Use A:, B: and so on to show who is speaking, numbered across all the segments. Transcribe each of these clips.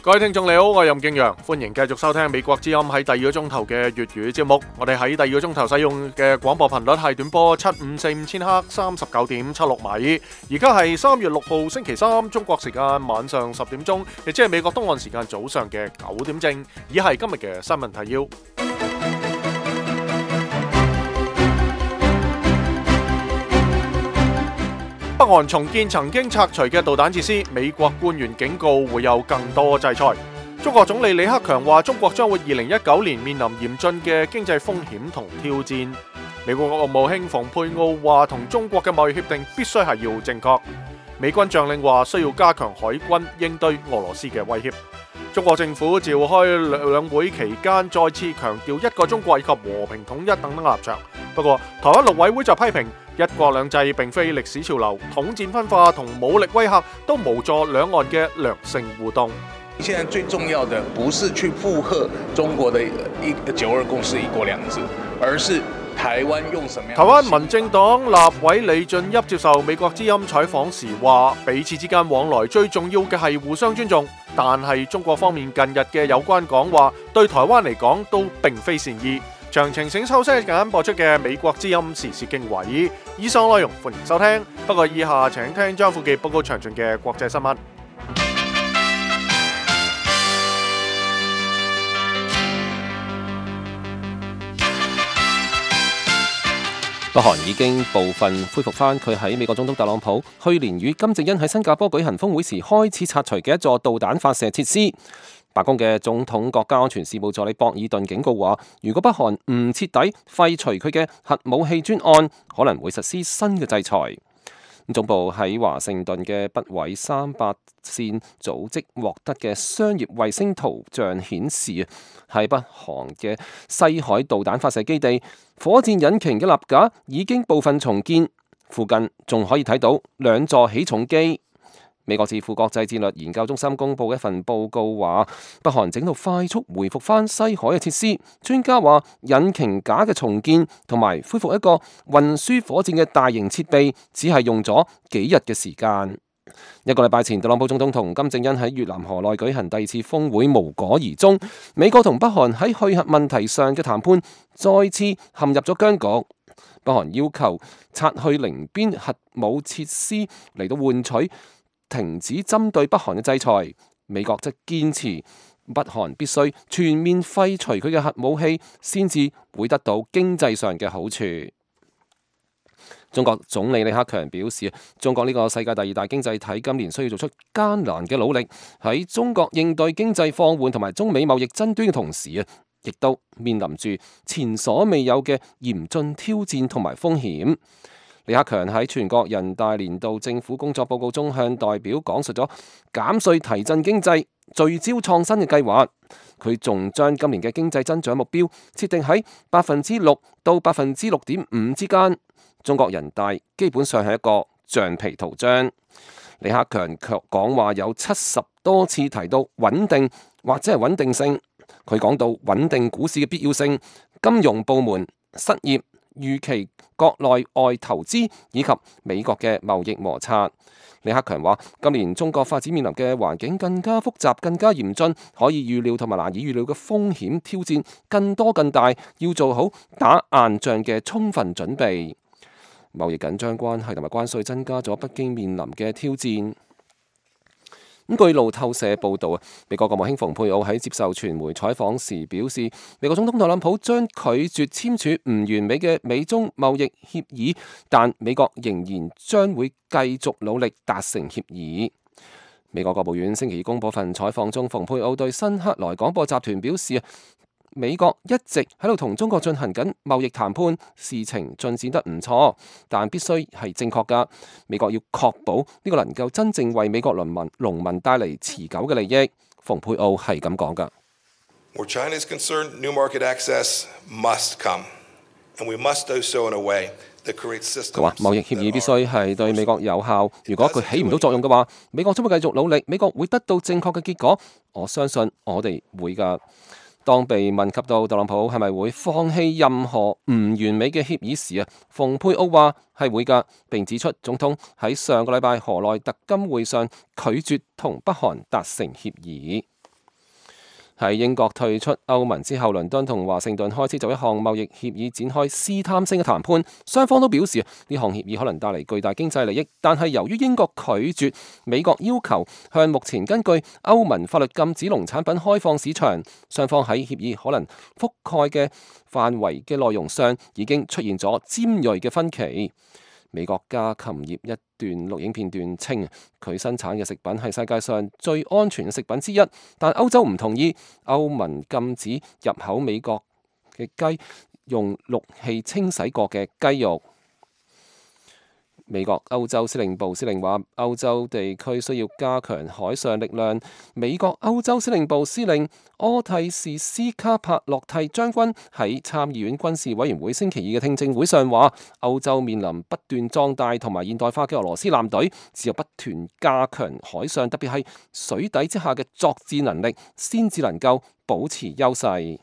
A: 各位聽眾你好，我係任敬陽，歡迎繼續收聽美國之音喺第二個鐘頭嘅粵語節目。我哋喺第二個鐘頭使用嘅廣播頻率係短波7545千赫39.76米。而家係3月6號星期三，中國時間晚上10點鐘，亦即係美國東岸時間早上嘅9點正。以下係今日嘅新聞提要。北韓重建曾經拆除嘅導彈設施，美國官員警告會有更多制裁。中國總理李克強話，中國將會2019年面臨嚴峻嘅經濟風險同挑戰。美國國務卿蓬佩奧話，同中國嘅貿易協定必須係要正確。美軍將領話需要加強海軍應對俄羅斯嘅威脅。中國政府召開兩會期間，再次強調一個中國以及和平統一等等立場。不過，台灣陸委會就批評一國兩制並非歷史潮流，統戰分化同武力威嚇都無助兩岸嘅良性互動。
B: 現在最重要的不是去附和中國的9·2共識、一國兩制，而是台灣用什麼樣？
A: 台灣民政黨立委李俊俋接受美國之音採訪時話，彼此之間往來最重要嘅係互相尊重，但係中國方面近日嘅有關講話對台灣嚟講都並非善意。詳情請收聽緊播出嘅美國之音時事經緯。以上內容歡迎收聽，不過以下請聽張富記報告詳盡嘅國際新聞。
C: 北韓已經部分恢復翻佢喺美國總統特朗普去年與金正恩喺新加坡舉行峰會時開始拆除嘅一座導彈發射設施。白宮嘅總統國家安全事務助理博爾頓警告話，如果北韓唔徹底廢除佢嘅核武器專案，可能會實施新嘅制裁。總部喺華盛頓嘅北緯38線組織獲得嘅商業衛星圖像顯示，喺北韓嘅西海導彈發射基地，火箭引擎嘅立架已經部分重建，附近仲可以睇到兩座起重機。美國智庫國際戰略研究中心公布一份報告話，北韓整到快速回復翻西海嘅設施。專家話，引擎架嘅重建同埋恢復一個運輸火箭嘅大型設備，只係用咗幾日嘅時間。一個禮拜前，特朗普總統同金正恩喺越南河內舉行第二次峰會，無果而終。美國同北韓喺去核問題上嘅談判再次陷入咗僵局。北韓要求拆去寧邊核武設施嚟到換取停止針對北韓嘅制裁，美國則堅持北韓必須全面廢除佢嘅核武器，先至會得到經濟上嘅好處。中國總理李克強表示，中國呢個世界第2大經濟體今年需要做出艱難嘅努力，喺中國應對經濟放緩同埋中美貿易爭端嘅同時亦都面臨住前所未有嘅嚴峻挑戰同埋風險。李克強喺全國人大年度政府工作報告中向代表講述咗減稅提振經濟、聚焦創新嘅計劃。佢仲將今年嘅經濟增長目標設定喺6%到6.5%之間。中國人大基本上係一個橡皮圖章。李克強卻講話有70多次提到穩定或者係穩定性。佢講到穩定股市嘅必要性、金融部門失業、預期國內外投資以及美國嘅貿易摩擦。李克強話，今年中國發展面臨嘅環境更加複雜、更加嚴峻，可以預料同埋難以預料嘅風險挑戰更多更大，要做好打硬仗嘅充分準備。貿易緊張關係同埋關稅增加咗北京面臨嘅挑戰。據路透社報導，美國國務卿蓬佩奧喺接受傳媒採訪時表示，美國總統特朗普將拒絕簽署唔完美嘅美中貿易協議，但美國仍然將會繼續努力達成協議。美國國務院星期二公佈份採訪中，蓬佩奧對新克萊廣播集團表示，美國一直喺度同中國進行緊貿易談判，事情進展得唔錯，但必須係正確㗎。美國要確保呢個能夠真正為美國農民帶嚟持久嘅利益。蓬佩奧係咁講㗎。
D: Where China is concerned, new market access must come, and we must do so in a way that creates systems.
C: 佢話貿易協議必須係對美國有效，如果佢起唔到作用嘅話，美國將會繼續努力，美國會得到正確嘅結果。我相信我哋會㗎。當被問及到特朗普係咪會放棄任何唔完美嘅協議時，蓬佩奧話係會㗎，並指出總統喺上個禮拜河內特金會上拒絕同北韓達成協議。喺英國退出歐盟之後，倫敦同華盛頓開始就一項貿易協議展開試探性嘅談判，雙方都表示呢項協議可能帶嚟巨大經濟利益，但係由於英國拒絕美國要求向目前根據歐盟法律禁止農產品開放市場，雙方喺協議可能覆蓋嘅範圍嘅內容上已經出現咗尖銳嘅分歧。美國家禽業一段錄影片段稱，佢生產嘅食品係世界上最安全嘅食品之一，但歐洲唔同意，歐盟禁止入口美國嘅雞用氯氣清洗過嘅雞肉。美國歐洲司令部司令話，歐洲地區需要加強海上力量。美國歐洲司令部司令柯蒂士斯卡帕洛蒂將軍喺參議院軍事委員會星期二嘅聽證會上話，歐洲面臨不斷壯大同埋現代化嘅俄羅斯艦隊，只有不斷加強海上，特別係水底之下嘅作戰能力，先至能夠保持優勢。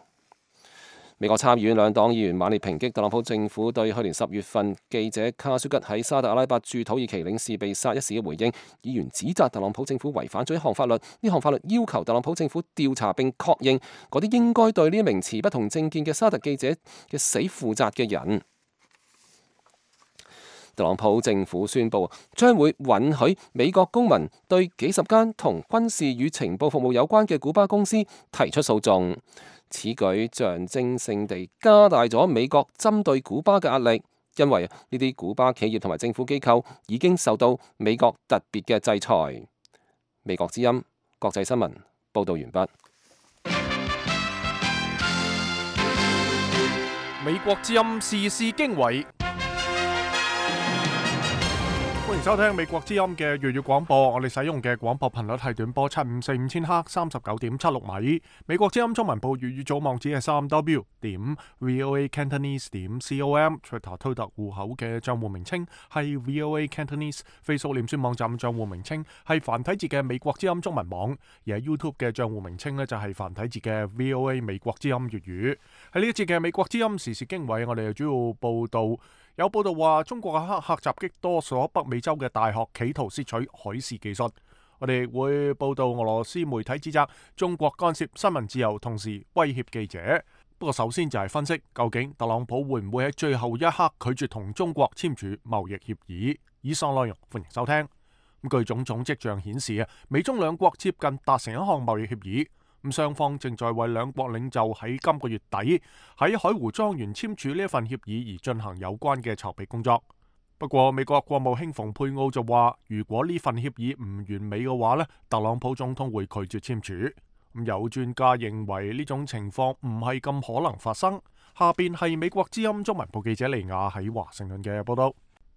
C: 美國參議院兩黨議員猛烈抨擊特朗普政府對去年10月份記者卡舒吉喺沙特阿拉伯駐土耳其領事被殺一事嘅回應。議員指責特朗普政府違反咗一項法律，呢項法律要求特朗普政府調查並確認嗰啲應該對呢一名持不同政見嘅沙特記者嘅死負責嘅人。特朗普政府宣布將會允許美國公民對幾十間同軍事與情報服務有關嘅古巴公司提出訴訟。此舉象徵性地加大咗美國針對古巴嘅壓力，因為呢啲古巴企業同埋政府機構已經受到美國特別嘅制裁。美國之音國際新聞報道完畢。
A: 美國之音時事經緯。歡迎收聽美國之音嘅粵語廣播，我哋使用嘅廣播頻率係短波7545000赫39.76米。美國之音中文部粵語組網址係 3w.voacantonese.com，Twitter 推特戶口嘅賬戶名稱係 VOA Cantonese，Facebook 臉書網站賬戶名稱係繁體字嘅美國之音中文網，而喺 YouTube 嘅賬戶名稱呢，就係繁體字嘅 VOA 美國之音粵語。喺呢一節嘅美國之音時事經緯，我哋主要報道。有報道話，中國嘅黑客襲擊多所北美洲嘅大學，企圖竊取海事技術。我哋會報道俄羅斯媒體指責中國干涉新聞自由，同時威脅記者。不過首先就係分析，究竟特朗普會唔會喺最後一刻拒絕同中國簽署貿易協議？以上內容歡迎收聽。據種種跡象顯示美中兩國接近達成一項貿易協議。雙方正在為兩國領袖喺今個月底喺海湖莊園簽署呢一份協議而進行有關嘅籌備工作。不過美國國務卿蓬佩奧就話，如果呢份協議唔完美嘅話特朗普總統會拒絕簽署。有專家認為呢種情況唔係咁可能發生。下邊係美國之音中文部記者尼亞喺華盛頓嘅報道。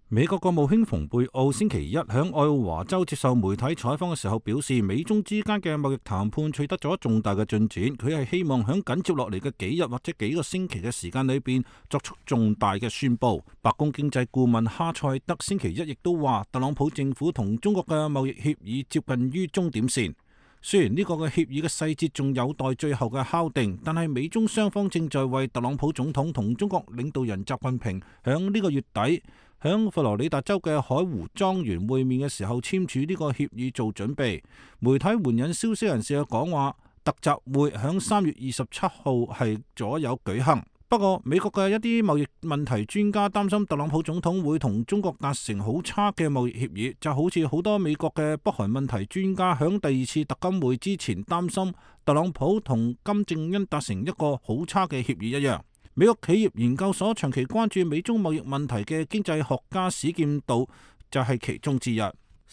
E: 美國國務卿蓬佩奧星期一響愛奧華州接受媒體採訪嘅時候表示，美中之間嘅貿易談判取得咗重大嘅進展，佢係希望響緊接落嚟嘅幾日或者幾個星期嘅時間裏邊作出重大嘅宣布。白宮經濟顧問哈塞德星期一亦都話，特朗普政府同中國嘅貿易協議接近於終點線。雖然呢個嘅協議嘅細節仲有待最後嘅敲定，但係美中雙方正在為特朗普總統同中國領導人習近平響呢個月底響佛羅里達州嘅海湖莊園會面嘅時候簽署呢個協議做準備。媒體援引消息人士嘅講話，特集會響3月27號係左右舉行。不過美國嘅一啲貿易問題專家擔心特朗普總統會同中國達成好差嘅貿易協議，就好似好多美國嘅北韓問題專家響第二次特金會之前擔心特朗普同金正恩達成一個好差嘅協議一樣。美國企業研究所長期關注美中貿易問題嘅經濟學家史劍道就係其中之一。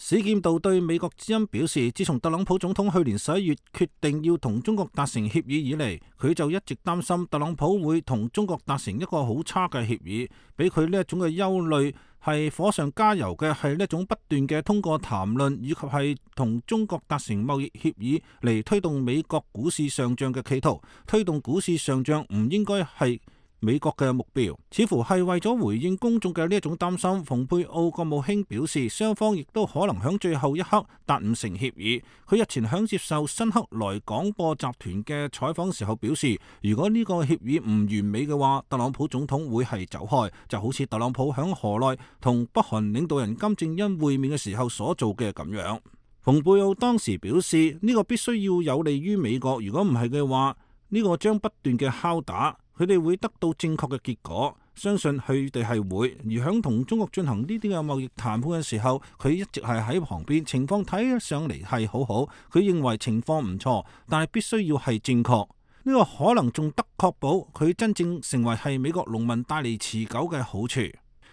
E: 史劍道對美國之音表示，自從特朗普總統去年11月決定要同中國達成協議以嚟，佢就一直擔心特朗普會同中國達成一個好差嘅協議。俾佢呢一種嘅憂慮係火上加油嘅，係呢一種不斷嘅通過談論以及係同中國達成貿易協議嚟推動美國股市上漲嘅企圖。推動股市上漲唔應該係美國嘅目標，似乎係為咗回應公眾嘅呢一種擔心。蓬佩奧國務卿表示，雙方亦都可能響最後一刻達唔成協議。佢日前響接受新克萊廣播集團嘅採訪時候表示，如果呢個協議唔完美嘅話，特朗普總統會係走開，就好似特朗普響河內同北韓領導人金正恩會面嘅時候所做嘅咁樣。蓬佩奧當時表示，呢個必須要有利於美國，如果唔係嘅話，呢個將不斷嘅敲打，佢哋會得到正確嘅結果。相信佢哋係會，而響同中國進行呢啲嘅貿易談判嘅時候，佢一直係喺旁邊，情況睇上嚟係好好。佢認為情況唔錯，但係必須要係正確。呢個可能仲得確保佢真正成為係美國農民帶嚟持久嘅好處。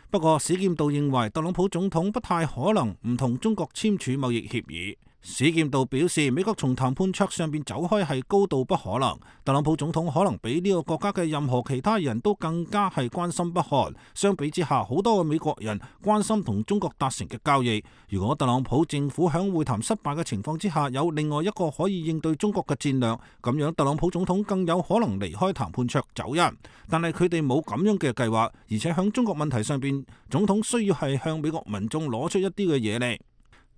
E: 不過史劍道認為特朗普總統不太可能唔同中國簽署貿易協議。史劍道表示，美國從談判桌上邊走開係高度不可能。特朗普總統可能比呢個國家嘅任何其他人都更加係關心北韓。相比之下，好多嘅美國人關心同中國達成嘅交易。如果特朗普政府響會談失敗嘅情況之下有另外一個可以應對中國嘅戰略，咁樣特朗普總統更有可能離開談判桌走人。但係佢哋冇咁樣嘅計劃，而且響中國問題上邊，總統需要係向美國民眾攞出一啲嘅嘢嚟。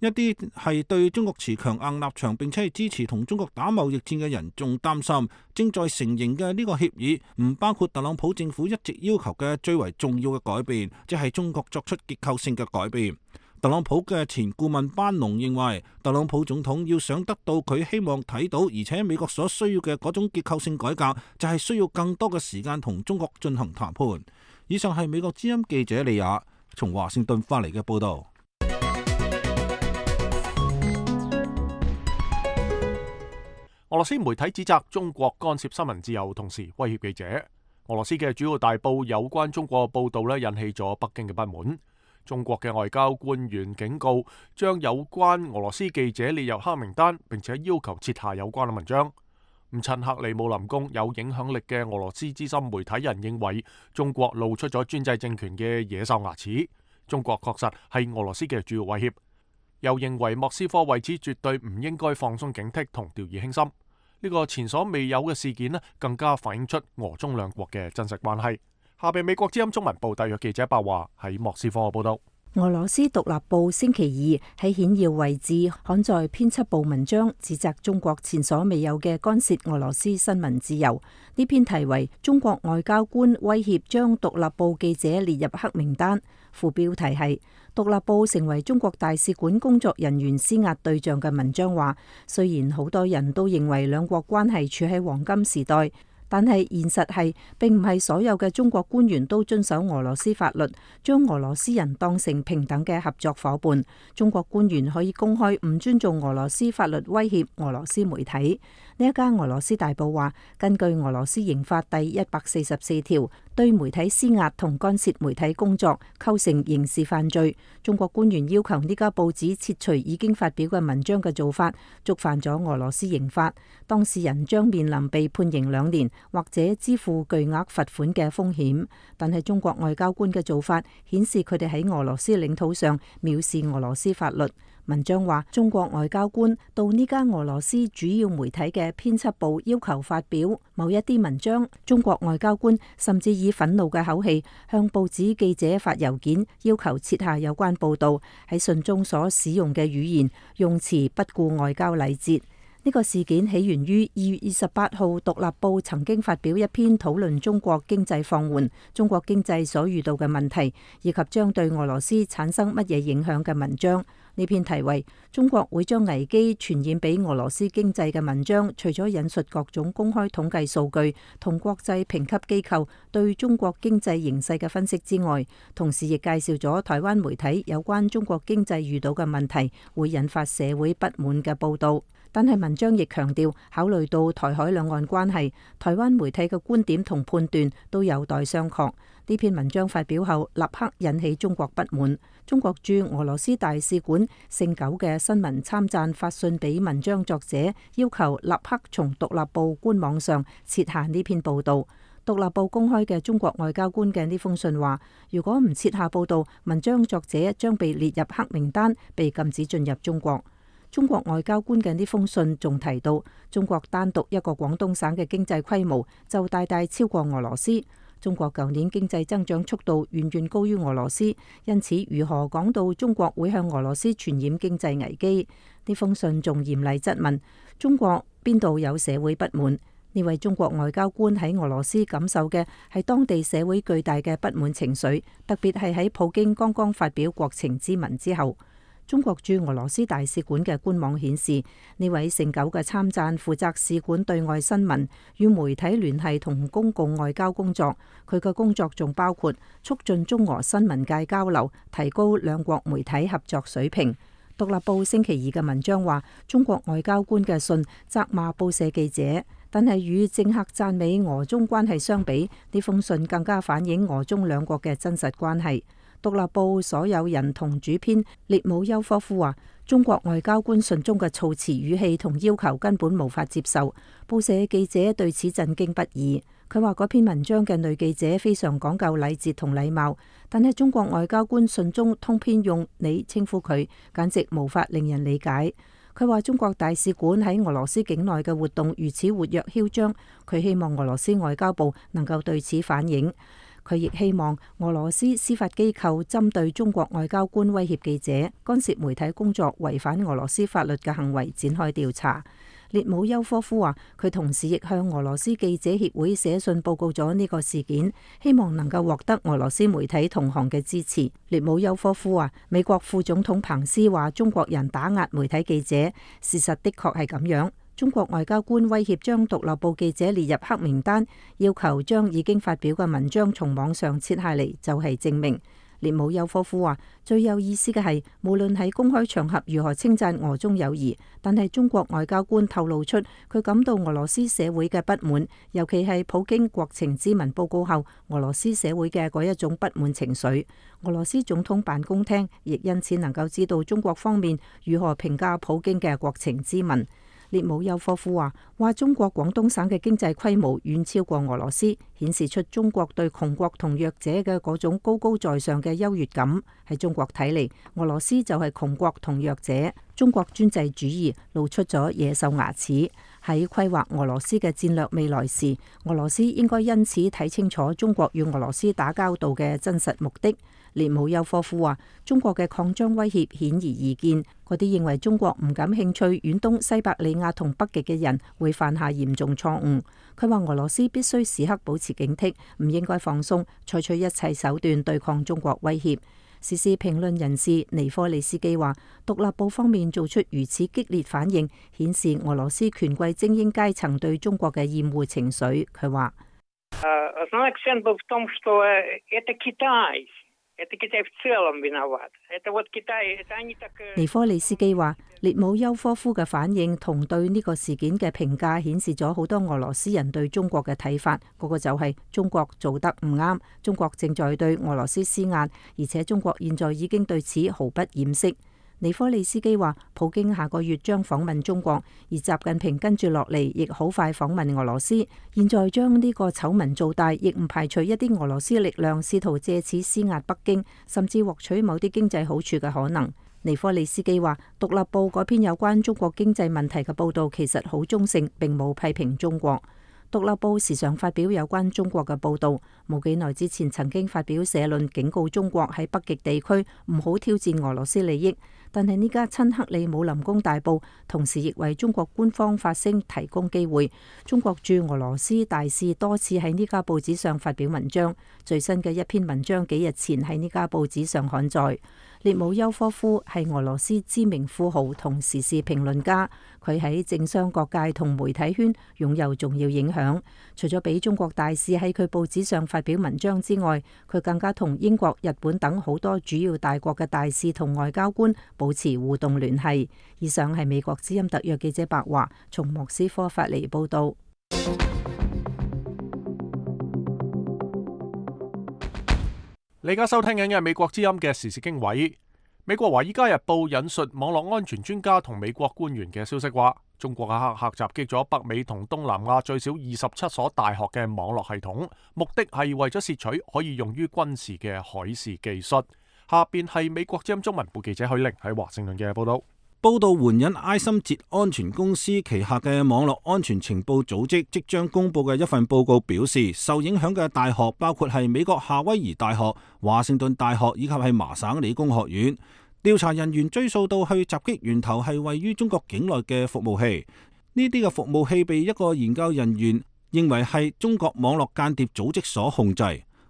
E: 一啲係對中國持強硬立場並且係支持同中國打貿易戰嘅人仲擔心，正在成形嘅呢個協議唔包括特朗普政府一直要求嘅最為重要嘅改變，即係中國作出結構性嘅改變。特朗普嘅前顧問班農認為，特朗普總統要想得到佢希望睇到，而且美國所需要嘅嗰種結構性改革，就係需要更多嘅時間同中國進行談判。以上係美國之音記者李雅從華盛頓發嚟嘅報導。
A: 俄羅斯媒體指責中國干涉新聞自由，同時威脅記者。俄羅斯嘅主要大報有關中國報導引起咗北京嘅不滿。中國嘅外交官員警告，將有關俄羅斯記者列入黑名單，並且要求撤下有關嘅文章。親克里姆林宮有影響力嘅俄羅斯資深媒體人認為，中國露出咗專制政權嘅野獸牙齒。中國確實係俄羅斯嘅主要威脅。又認為莫斯科為此絕對唔應該放鬆警惕同掉以輕心。呢個前所未有嘅事件更加反映出俄中兩國嘅真實關係。下邊美國之音中文部特約記者白華喺莫斯科嘅報道。
F: 俄羅斯獨立報星期二喺顯要位置刊載編輯部文章，指責中國前所未有嘅干涉俄羅斯新聞自由。呢篇題為《中國外交官威脅將獨立報記者列入黑名單》，副標題係獨立報成為中國大使館工作人員施壓對象嘅文章話，雖然好多人都認為兩國關係處喺黃金時代，但係現實係並唔係所有嘅中國官員都遵守俄羅斯法律，將俄羅斯人當成平等嘅合作夥伴。中國官員可以公開唔尊重俄羅斯法律威脅俄羅斯媒體。呢一家俄羅斯大報話，根據俄羅斯刑法第144條，對媒體施壓同干涉媒體工作構成刑事犯罪。中國官員要求呢家報紙撤除已經發表嘅文章嘅做法，觸犯咗俄羅斯刑法，當事人將面臨被判刑2年或者支付巨額罰款嘅風險。但係中國外交官嘅做法顯示佢哋喺俄羅斯領土上藐視俄羅斯法律。文章話，中國外交官到呢家俄羅斯主要媒體嘅編輯部要求發表某一啲文章，中國外交官甚至以憤怒嘅口氣向報紙記者發郵件，要求撤下有關報導。喺信中所使用嘅語言用詞不顧外交禮節。呢個事件起源於2月28號《獨立報》曾經發表一篇討論中國經濟放緩、中國經濟所遇到嘅問題，以及將對俄羅斯產生乜嘢影響嘅文章。呢篇題為《中國會將危機傳染俾俄羅斯經濟》嘅文章，除咗引述各種公開統計數據同國際評級機構對中國經濟形勢嘅分析之外，同時亦介紹咗台灣媒體有關中國經濟遇到嘅問題會引發社會不滿嘅報導。但係文章亦強調，考慮到台海兩岸關係，台灣媒體嘅觀點同判斷都有待商榷。呢篇文章發表後，立刻引起中國不滿。中國駐俄羅斯大使館姓九嘅新聞參贊發信俾文章作者，要求立刻從獨立報官網上撤下呢篇報導。獨立報公開嘅中國外交官嘅呢封信話，如果唔撤下報導，文章作者將被列入黑名單，被禁止進入中國。中國外交官嘅呢封信仲提到，中國單獨一個廣東省嘅經濟規模就大大超過俄羅斯。中國舊年經濟增長速度遠遠高於俄羅斯，因此如何講到中國會向俄羅斯傳染經濟危機？呢封信仲嚴厲質問中國邊度有社會不滿？呢位中國外交官喺俄羅斯感受嘅係當地社會巨大嘅不滿情緒，特別係喺普京剛剛發表國情咨文之後。中國駐俄羅斯大使館嘅官網顯示，呢位姓九嘅參贊負責使館對外新聞、與媒體聯繫同公共外交工作。佢嘅工作仲包括促進中俄新聞界交流，提高兩國媒體合作水平。獨立報星期二嘅文章話，中國外交官嘅信責罵報社記者，但係與政客讚美俄中關係相比，呢封信更加反映俄中兩國嘅真實關係。獨立報所有人同主編列姆丘科夫話，中國外交官信中嘅措辭語氣同要求根本無法接受，報社記者對此震驚不已。佢話嗰篇文章嘅女記者非常講究禮節同禮貌，但係中國外交官信中通篇用你稱呼佢，簡直無法令人理解。佢話中國大使館喺俄羅斯境內嘅活動如此活躍囂張，佢希望俄羅斯外交部能夠對此反映。佢亦希望俄羅斯司法機構針對中國外交官威脅記者、干涉媒體工作、違反俄羅斯法律嘅行為展開調查。列姆丘科夫話，佢同時亦向俄羅斯記者協會寫信報告咗呢個事件，希望能夠獲得俄羅斯媒體同行嘅支持。列姆丘科夫話，美國副總統彭斯話中國人打壓媒體記者，事實的確係咁樣。中國外交官威脅將獨立報記者列入黑名單，要求將已經發表嘅文章從網上撤下嚟，就係證明。列姆丘科夫話，最有意思嘅係，無論喺公開場合如何稱讚俄中友誼，但係中國外交官透露出佢感到俄羅斯社會嘅不滿，尤其係普京國情咨文報告後，俄羅斯社會嘅嗰一種不滿情緒。俄羅斯總統辦公廳亦因此能夠知道中國方面如何評價普京嘅國情咨文。列姆丘科夫話中國廣東省嘅經濟規模遠超過俄羅斯，顯示出中國對窮國同弱者嘅嗰種高高在上嘅優越感。喺中國睇嚟，俄羅斯就係窮國同弱者。中國專制主義露出咗野獸牙齒。喺規劃俄羅斯嘅戰略未來時，俄羅斯應該因此睇清楚中國與俄羅斯打交道嘅真實目的。列姆丘科夫話，中國嘅擴張威脅顯而易見，嗰啲認為中國唔感興趣遠東西伯利亞同北極嘅人會犯下嚴重錯誤。佢話俄羅斯必須時刻保持警惕，唔應該放鬆，採取一切手段對抗中國威脅。時事評論人士尼科利斯基話，獨立報方面做出如此激烈反應，顯示俄羅斯權貴精英階層對中國嘅厭惡情緒。佢話，尼科利斯基話，列姆丘科夫嘅反應同對呢個事件嘅評價顯示咗好多俄羅斯人對中國嘅睇法，嗰個就係中國做得唔啱，中國正在對俄羅斯施壓，而且中國現在已經對此毫不掩飾。尼科利斯基話，普京下個月將訪問中國，而習近平跟住落嚟亦好快訪問俄羅斯。現在將呢個醜聞做大，亦唔排除一啲俄羅斯力量試圖借此施壓北京，甚至獲取某啲經濟好處嘅可能。尼科利斯基話，獨立報嗰篇有關中國經濟問題嘅報導其實好中性，並冇批評中國。獨立報時常發表有關中國嘅報導，冇幾耐之前曾經發表社論警告中國喺北極地區唔好挑戰俄羅斯利益。但係呢家親克里姆林宮大報同時亦為中國官方發聲提供機會。中國駐俄羅斯大使多次喺呢家報紙上發表文章，最新嘅一篇文章幾日前喺呢家報紙上刊載。列姆丘科夫係俄羅斯知名富豪同時事評論家，佢喺政商各界同媒體圈擁有重要影響。除咗俾中國大使喺佢報紙上發表文章之外，佢更加同英國、日本等好多主要大國嘅大使同外交官保持互動聯繫。以上係美國之音特約記者白華從莫斯科發嚟報道。
A: 你而家收聽緊嘅係美國之音嘅時事經緯。美國華爾街日報引述網絡安全專家同美國官員嘅消息話，中國嘅黑客襲擊咗北美同東南亞最少27所大學嘅網絡系統，目的係為咗竊取可以用於軍事嘅海事技術。下邊係美國之音中文部記者許玲喺華盛頓嘅報道。
E: 報道援引埃森哲安全公司旗下嘅網絡安全情報組織即將公布嘅一份報告表示，受影響嘅大學包括係美國夏威夷大學、華盛頓大學以及係麻省理工學院。調查人員追溯到去襲擊源頭係位於中國境內嘅服務器，呢啲嘅服務器被一個研究人員認為係中國網絡間諜組織所控制。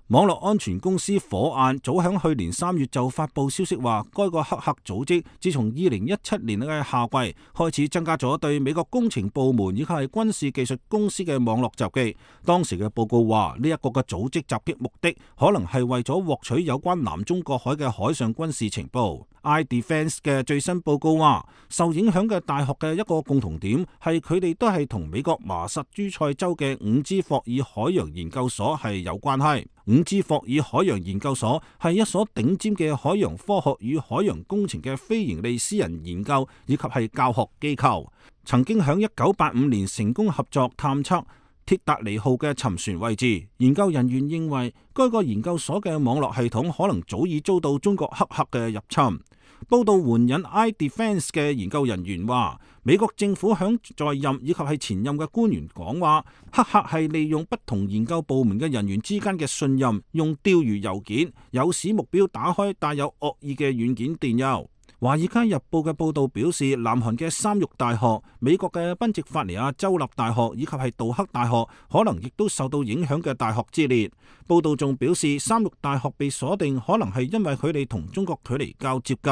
E: 網絡安全公司火眼早響去年3月就發布消息話，該個黑客組織自從2017年嘅夏季開始增加咗對美國工程部門以及係軍事技術公司嘅網絡襲擊。當時嘅報告話，呢一個嘅組織襲擊目的可能係為咗獲取有關南中國海嘅海上軍事情報。iDefense 嘅最新報告話，受影響嘅大學嘅一個共同點係佢哋都係同美國麻薩諸塞州嘅伍茲霍爾海洋研究所係有關係。伍茲霍爾海洋研究所係一所頂尖嘅海洋科學與海洋工程嘅非營利私人研究以及係教學機構，曾經喺1985年成功合作探測鐵達尼號嘅沉船位置。研究人員認為，該個研究所嘅網絡系統可能早已遭到中國黑客嘅入侵。報道援引 iDefense 嘅研究人員話，美國政府響在任以及係前任嘅官員講話，黑客係利用不同研究部門嘅人員之間嘅信任，用釣魚郵件誘使目標打開帶有惡意嘅軟件電郵。《華爾街日報》嘅報導表示，南韓嘅三育大學、美國嘅賓夕法尼亞州立大學以及係杜克大學可能亦都受到影響嘅大學之列。報導仲表示，三育大學被鎖定可能係因為佢哋同中國距離較接近。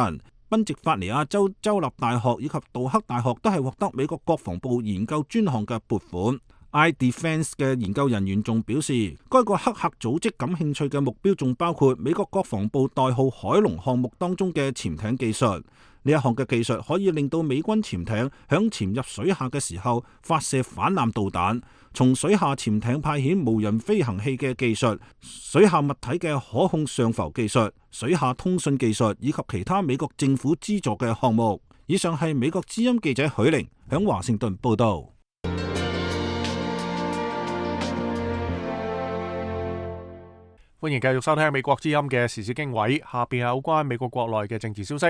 E: 賓夕法尼亞州州立大學以及杜克大學都係獲得美國國防部研究專項嘅撥款。iDefense 嘅研究人員仲表示，該個黑客組織感興趣嘅目標仲包括美國國防部代號海龍項目當中嘅潛艇技術。呢一項嘅技術可以令到美軍潛艇響潛入水下嘅時候發射反艦導彈，從水下潛艇派遣無人飛行器嘅技術、水下物體嘅可控上浮技術、水下通訊技術以及其他美國政府資助嘅項目。以上係美國之音記者許玲響華盛頓報道。
A: 歡迎繼續收聽美國之音嘅時事經緯，下邊係有關美國國內嘅政治消息。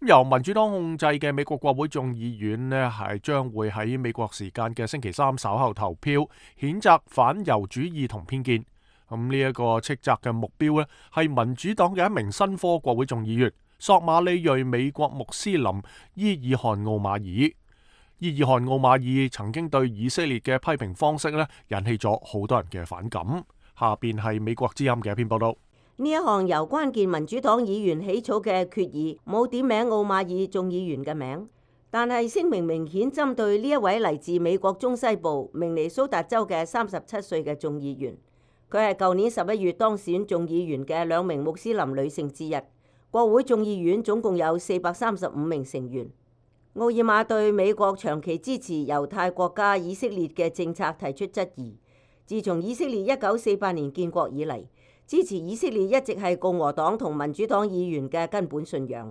A: 由民主黨控制嘅美國國會眾議院呢，係將會喺美國時間嘅星期三稍後投票，譴責反猶主義同偏見。呢一個斥責嘅目標呢，係民主黨嘅一名新科國會眾議員索馬里裔美國穆斯林伊爾汗奧馬爾。伊爾汗奧馬爾曾經對以色列嘅批評方式呢，引起咗好多人嘅反感。下邊係美國之音嘅一篇報道。
G: 呢一項由關鍵民主黨議員起草嘅決議冇點名奧馬爾眾議員嘅名，但係聲明明顯針對呢一位嚟自美國中西部明尼蘇達州嘅37歲嘅眾議員。佢係舊年11月當選眾議員嘅2名穆斯林女性之一。國會眾議院總共有435名成員。奧爾瑪對美國長期支持猶太國家以色列嘅政策提出質疑。自從以色列1948年建國以嚟，支持以色列一直係共和黨同民主黨議員嘅根本信仰。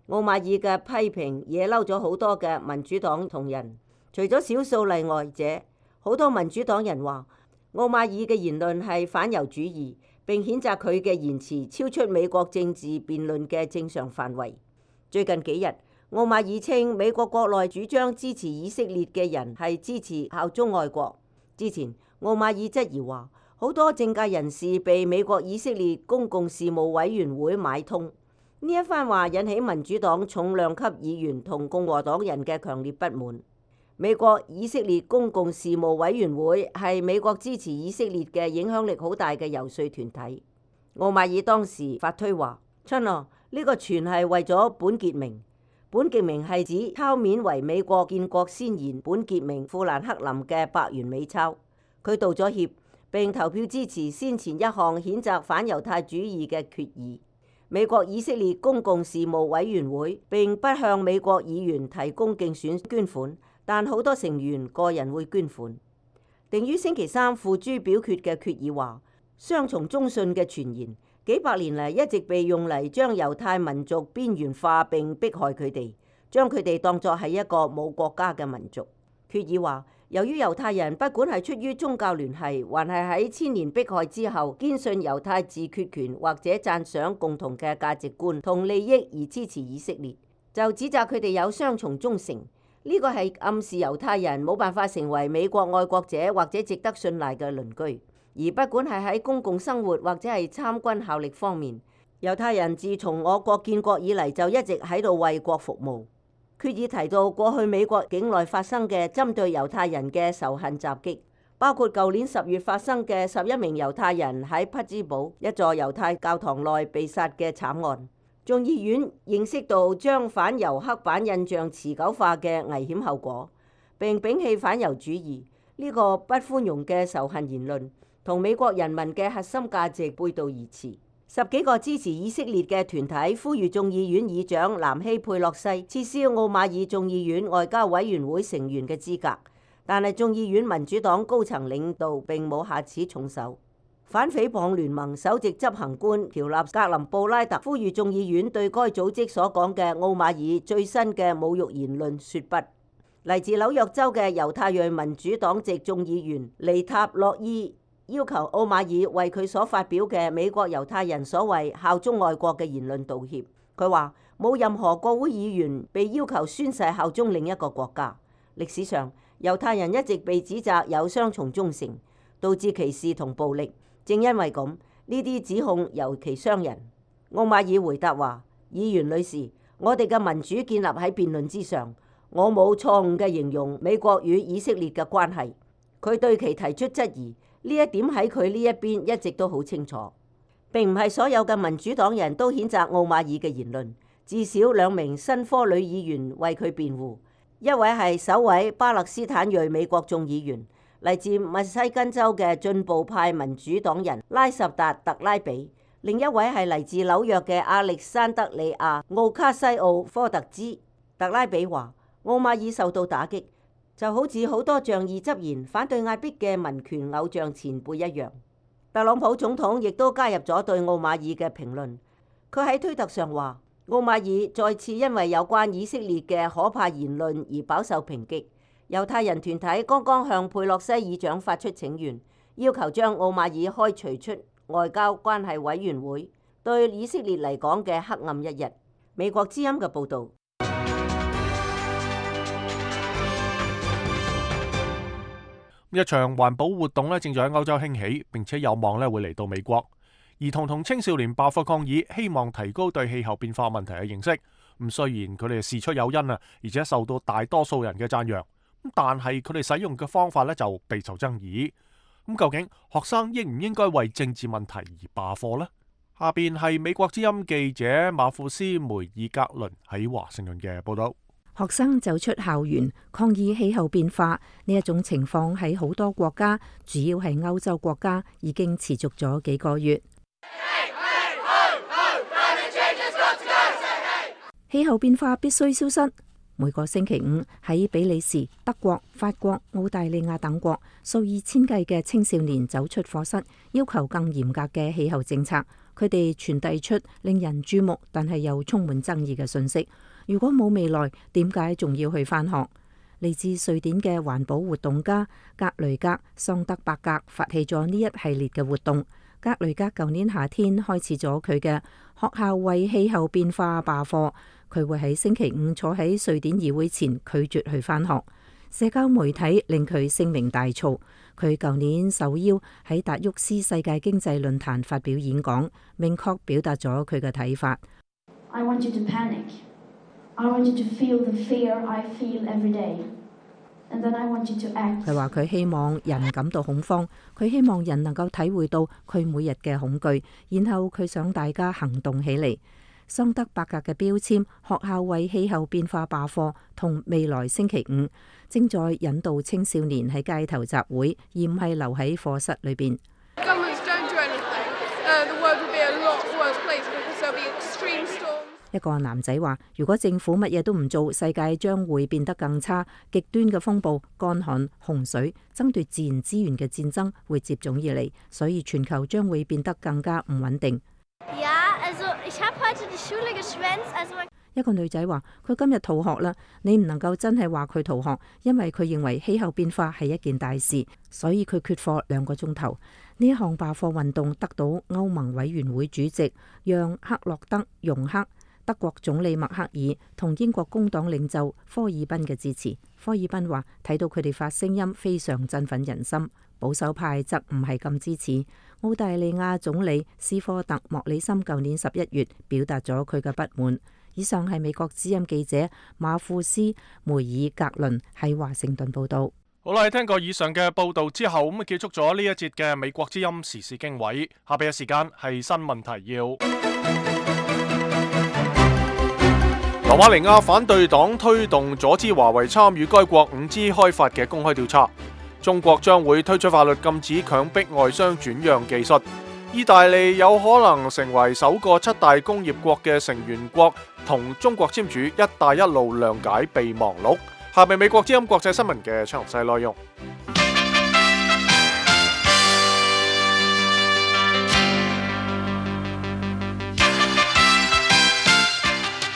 G: 奧馬爾嘅批評惹嬲咗好多嘅民主黨同人，除咗少數例外者，好多民主黨人話奧馬爾嘅言論係反猶主義，並譴責佢嘅言辭超出美國政治辯論嘅正常範圍。最近幾日，奧馬爾稱美國國內主張支持以色列嘅人係支持效忠愛國。之前奧馬爾質疑話，好多政界人士被美國以色列公共事務委員會買通。呢一番話引起民主黨重量級議員同共和黨人嘅強烈不滿。美國以色列公共事務委員會係美國支持以色列嘅影響力好大嘅遊說團體。奧馬爾當時發推話：親啊，呢個全係為咗本傑明。本傑明係指抄面為美國建國先賢本傑明富蘭克林嘅百元美鈔。佢道咗歉，並投票支持先前一項譴責反猶太主義嘅決議。美國以色列公共事務委員會並不向美國議員提供競選捐款，但好多成員個人會捐款。定於星期三付諸表決嘅決議話，雙重中信嘅傳言幾百年嚟一直被用嚟將猶太民族邊緣化並迫害佢哋，將佢哋當作係一個冇國家嘅民族。決議話，由於猶太人不管係出於宗教聯繫，還係喺千年迫害之後堅信猶太自決權或者讚賞共同嘅價值觀同利益而支持以色列，就指責佢哋有雙重忠誠。呢個係暗示猶太人冇辦法成為美國愛國者或者值得信賴嘅鄰居。而不管係喺公共生活或者係參軍效力方面，猶太人自從我國建國以嚟就一直喺度為國服務。決議提到過去美國境內發生嘅針對猶太人嘅仇恨襲擊，包括舊年10月發生嘅11名猶太人喺匹茲堡一座猶太教堂內被殺嘅慘案。眾議院認識到將反猶刻板印象持久化嘅危險後果，並摒棄反猶主義呢個不寬容嘅仇恨言論，同美國人民嘅核心價值背道而馳。10幾個支持以色列嘅團體呼籲眾議院議長南希佩洛西撤銷奧馬爾眾議院外交委員會成員嘅資格。但係眾議院民主黨高層領導並冇下此重手。反誹謗聯盟首席執行官喬納格林布拉特呼籲眾議院對該組織所講嘅奧馬爾最新嘅侮辱言論說不。嚟自紐約州嘅猶太裔民主黨籍眾議員尼塔洛伊要求奧馬爾為佢所發表嘅美國猶太人所謂效忠外國嘅言論道歉。佢話冇任何國會議員被要求宣誓效忠另一個國家。歷史上猶太人一直被指責有雙重忠誠，導致歧視同暴力。正因為咁，呢啲指控尤其傷人。奧馬爾回答話：議員女士，我哋嘅民主建立喺辯論之上，我冇錯誤嘅形容美國與以色列嘅關係。佢對其提出質疑，呢一點喺佢呢一邊一直都好清楚。並唔係所有嘅民主黨人都譴責奧馬爾嘅言論，至少2名新科女議員為佢辯護。一位係首位巴勒斯坦裔美國眾議員，嚟自密西根州嘅進步派民主黨人拉什達特拉比；另一位係嚟自紐約嘅亞歷山德里亞奧卡西奧科特茲。特拉比話：奧馬爾受到打擊，就好似好多仗義執言、反對壓迫嘅民權偶像前輩一樣。特朗普總統亦都加入咗對奧馬爾嘅評論。佢喺推特上話：奧馬爾再次因為有關以色列嘅可怕言論而飽受抨擊。猶太人團體剛剛向佩洛西議長發出請願，要求將奧馬爾開除出外交關係委員會，對以色列嚟講嘅黑暗一日。美國之音嘅報導。
A: 一場環保活動咧正在喺歐洲興起，並且有望咧會嚟到美國。兒童同青少年爆發抗議，希望提高對氣候變化問題嘅認識。咁雖然佢哋事出有因啊，而且受到大多數人嘅讚揚，但係佢哋使用嘅方法咧就備受爭議。咁究竟學生應唔應該為政治問題而罷課呢？下邊係美國之音記者馬庫斯梅爾格倫喺華盛頓嘅報道。
F: 學生走出校園抗議氣候變化呢一種情況喺好多國家，主要係歐洲國家，已經持續咗幾個月。氣候變化必須消失。每個星期五喺比利時、德國、法國、澳大利亞等國，數以千計嘅青少年走出課室，要求更嚴格嘅氣候政策。佢哋傳遞出令人注目但係又充滿爭議嘅信息。如果冇未來，點解仲要去返學？嚟自瑞典嘅環保活動家格雷格桑德伯格發起咗呢一系列嘅活動。格雷格舊年夏天開始咗佢嘅學校為氣候變化罷課。佢會喺星期五坐喺瑞典議會前拒絕去返學。社交媒體令佢聲名大噪。佢舊年受邀喺達沃斯世界經濟論壇發表演講，明確表達咗佢嘅睇法。
H: I want you to panic. I want you to feel the fear I feel every day. And then I want you to act.
F: 佢話佢希望人感到恐慌，佢希望人能夠體會到佢每日嘅恐懼，然後佢想大家行動起嚟。桑德伯格嘅標籤學校為氣候變化罷課同未來星期五正在引導青少年喺街頭集會，而唔係留喺課室裏邊。一個男仔話：如果政府乜嘢都唔做，世界將會變得更差。極端嘅風暴、乾旱、洪水、爭奪自然資源嘅戰爭會接踵而嚟，所以全球將會變得更加唔穩定。一個女仔話：佢今日逃學啦。你唔能夠真係話佢逃學，因為佢認為氣候變化係一件大事，所以佢缺課2個鐘頭。呢一項罷課運動得到歐盟委員會主席讓克洛德容克、德國總理默克爾同英國工黨領袖科爾賓嘅支持。科爾賓話：睇到佢哋發聲音非常振奮人心。保守派則唔係咁支持。澳大利亞總理斯科特莫里森舊年11月表達咗佢嘅不滿。以上係美國之音記者馬庫斯梅爾格倫喺華盛頓報道。
A: 好啦，聽過以上嘅報道之後，咁結束咗呢一節嘅美國之音時事經緯。下邊嘅時間係新聞提要。羅馬尼亞反對黨推動阻止華為參與該國 5G 開發嘅公開調查。中國將會推出法律禁止強迫外商轉讓技術。意大利有可能成為首個7大工業國嘅成員國，同中國簽署一帶一路諒解備忘錄。下面美國之音國際新聞嘅詳細內容。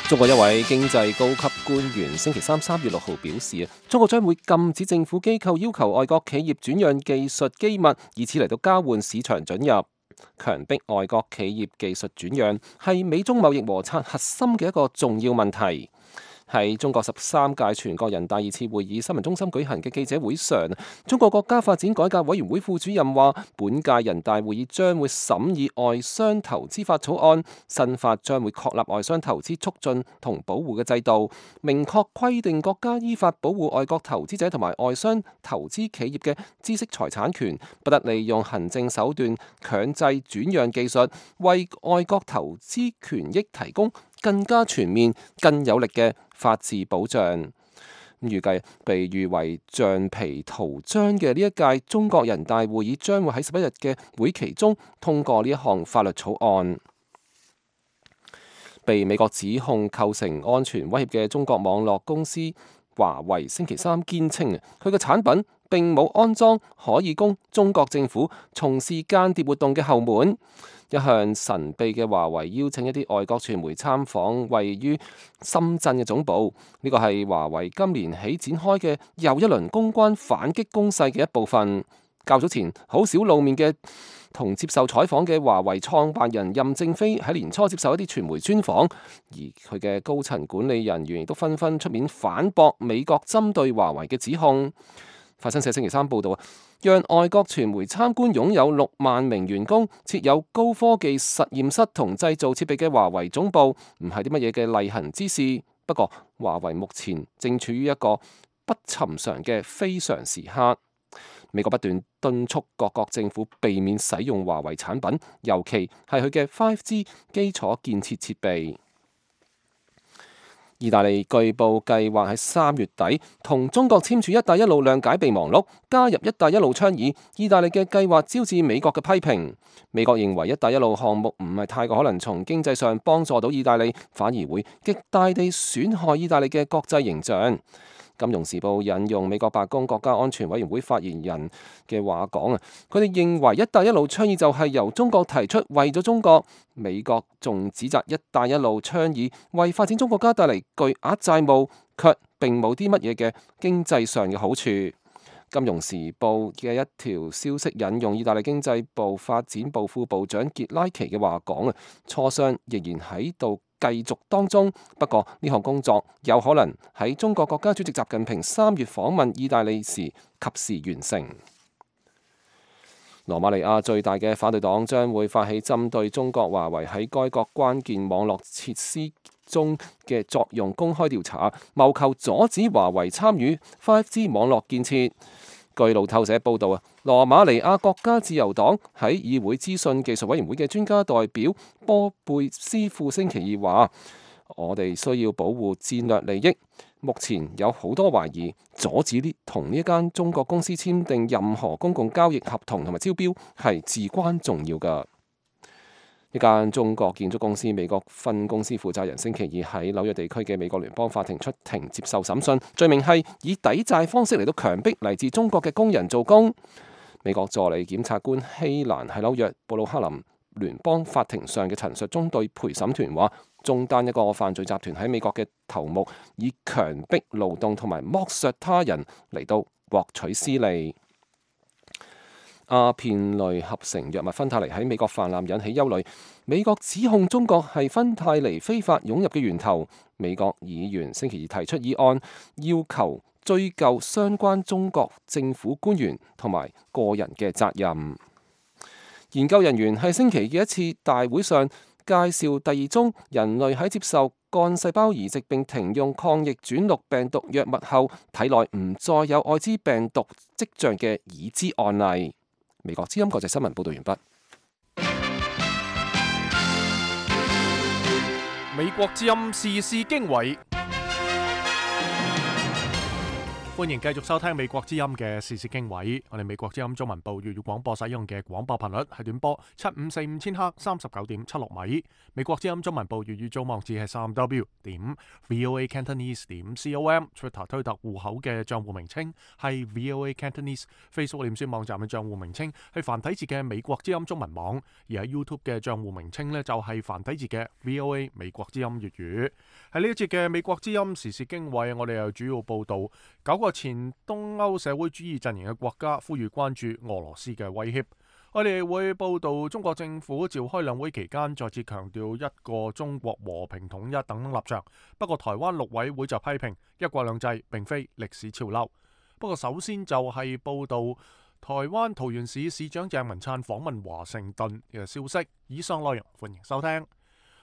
C: 中國一位經濟高級官員星期三3月6號表示，中國將會禁止政府機構要求外國企業轉讓技術機密，以此嚟到交換市場准入。強迫外國企業技術轉讓係美中貿易摩擦核心嘅一個重要問題。喺中國13屆全國人大2次會議新聞中心舉行嘅記者會上，中國國家發展改革委員會副主任話，本屆人大會議將會審議外商投資法草案，新法將會確立外商投資促進同保護嘅制度，明確規定國家依法保護外國投資者同埋外商投資企業嘅知識財產權，不得利用行政手段強制轉讓技術，為外國投資權益提供更加全面、更有力嘅法治保障。預計被譽為橡皮圖章嘅呢一屆中國人大會議將會喺11日嘅會期中通過呢一項法律草案。被美國指控構成安全威脅嘅中國網絡公司華為星期三堅稱，佢嘅產品並冇安裝可以供中國政府從事間諜活動嘅後門。一向神秘嘅華為邀請一啲外國傳媒參訪位於深圳嘅總部，呢個係華為今年起展開嘅又一輪公關反擊攻勢嘅一部分。較早前好少露面嘅同接受採訪嘅華為創辦人任正非喺年初接受一啲傳媒專訪，而佢嘅高層管理人員亦都紛紛出面反駁美國針對華為嘅指控。法新社星期三報道，讓外國傳媒參觀擁有6萬名員工、設有高科技實驗室同製造設備嘅華為總部，唔係啲乜嘢嘅例行之事。不過，華為目前正處於一個不尋常嘅非常時刻。美國不斷敦促各國政府避免使用華為產品，尤其係佢嘅 5G 基礎建設設備。意大利據報計劃喺3月底同中國簽署一帶一路諒解備忘錄，加入一帶一路倡議。意大利嘅計劃招致美國嘅批評。美國認為一帶一路項目唔係太過可能從經濟上幫助到意大利，反而會極大地損害意大利嘅國際形象。金融時報引用美國白宮國家安全委員會發言人嘅話講，佢哋認為一帶一路倡議就係由中國提出，為咗中國。美國仲指責一帶一路倡議為發展中國家帶嚟巨額債務，卻並冇啲乜嘢嘅經濟上嘅好處。金融時報嘅一條消息引用意大利經濟部發展部副部長傑拉奇嘅話講，磋商仍然喺度繼續當中，不過呢項工作有可能喺中國國家主席習近平3月訪問意大利時及時完成。羅馬尼亞最大嘅反對黨將會發起針對中國華為喺該國關鍵網絡設施中嘅作用公開調查，謀求阻止華為參與 5G 網絡建設。據路透社報導，羅馬尼亞國家自由黨喺議會資訊技術委員會嘅專家代表波貝斯副星期二話：我哋需要保護戰略利益。目前有好多懷疑，阻止同呢間中國公司簽訂任何公共交易合同同埋招標係至關重要㗎。一間中國建築公司美國分公司負責人星期二喺紐約地區嘅美國聯邦法庭出庭接受審訊，罪名係以抵債方式嚟到強迫嚟自中國嘅工人做工。美國助理檢察官希蘭喺紐約布魯克林聯邦法庭上嘅陳述中對陪審團話，中單一個犯罪集團喺美國嘅頭目以強迫勞動同埋剝削他人嚟到獲取私利。鴉片類合成藥物芬太尼喺美國泛濫引起憂慮，美國指控中國係芬太尼非法湧入嘅源頭。美國議員星期二提出議案，要求追究相關中國政府官員同埋個人嘅責任。研究人員喺星期嘅一次大會上介紹第2宗人類喺接受幹細胞移植並停用抗逆轉錄病毒藥物後，體內唔再有愛滋病毒跡象嘅已知案例。美國之音國際新聞報道完畢。
A: 美國之音時事經緯。歡迎繼續收聽美國之音嘅時事經緯。我哋美國之音中文部粵語廣播使用嘅廣播頻率係短波7545千赫39.76米。美國之音中文部粵語組網址係3w.voacantonese.com。Twitter 推特戶口嘅賬戶名稱係 VOA Cantonese。Facebook 臉書網站嘅賬戶名稱係繁體字嘅美國之音中文網，而喺 YouTube 嘅賬戶名稱呢，就係繁體字嘅 VOA 美國之音粵語。喺呢一節嘅美國之音時事經緯，我哋又主要報道9個前東歐社會主義陣營嘅國家呼籲關注俄羅斯嘅威脅。我哋會報道中國政府召開兩會期間再次強調一個中國和平統一等立場。不過台灣陸委會就批評一國兩制並非歷史潮流。不過首先就係報道台灣桃園市市長鄭文燦訪問華盛頓嘅消息。以上內容歡迎收聽。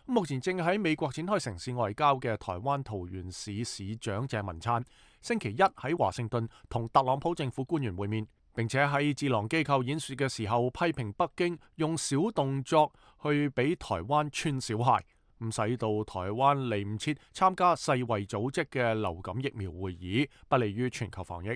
A: 目前正喺美國展開城市外交嘅台灣桃園市市長鄭文燦，星期一喺華盛頓同特朗普政府官員會面，並且喺智囊機構演說嘅時候批評北京用小動作去俾台灣穿小鞋，使到台灣嚟唔切參加世衛組織嘅流感疫苗會議，不利於全球防疫。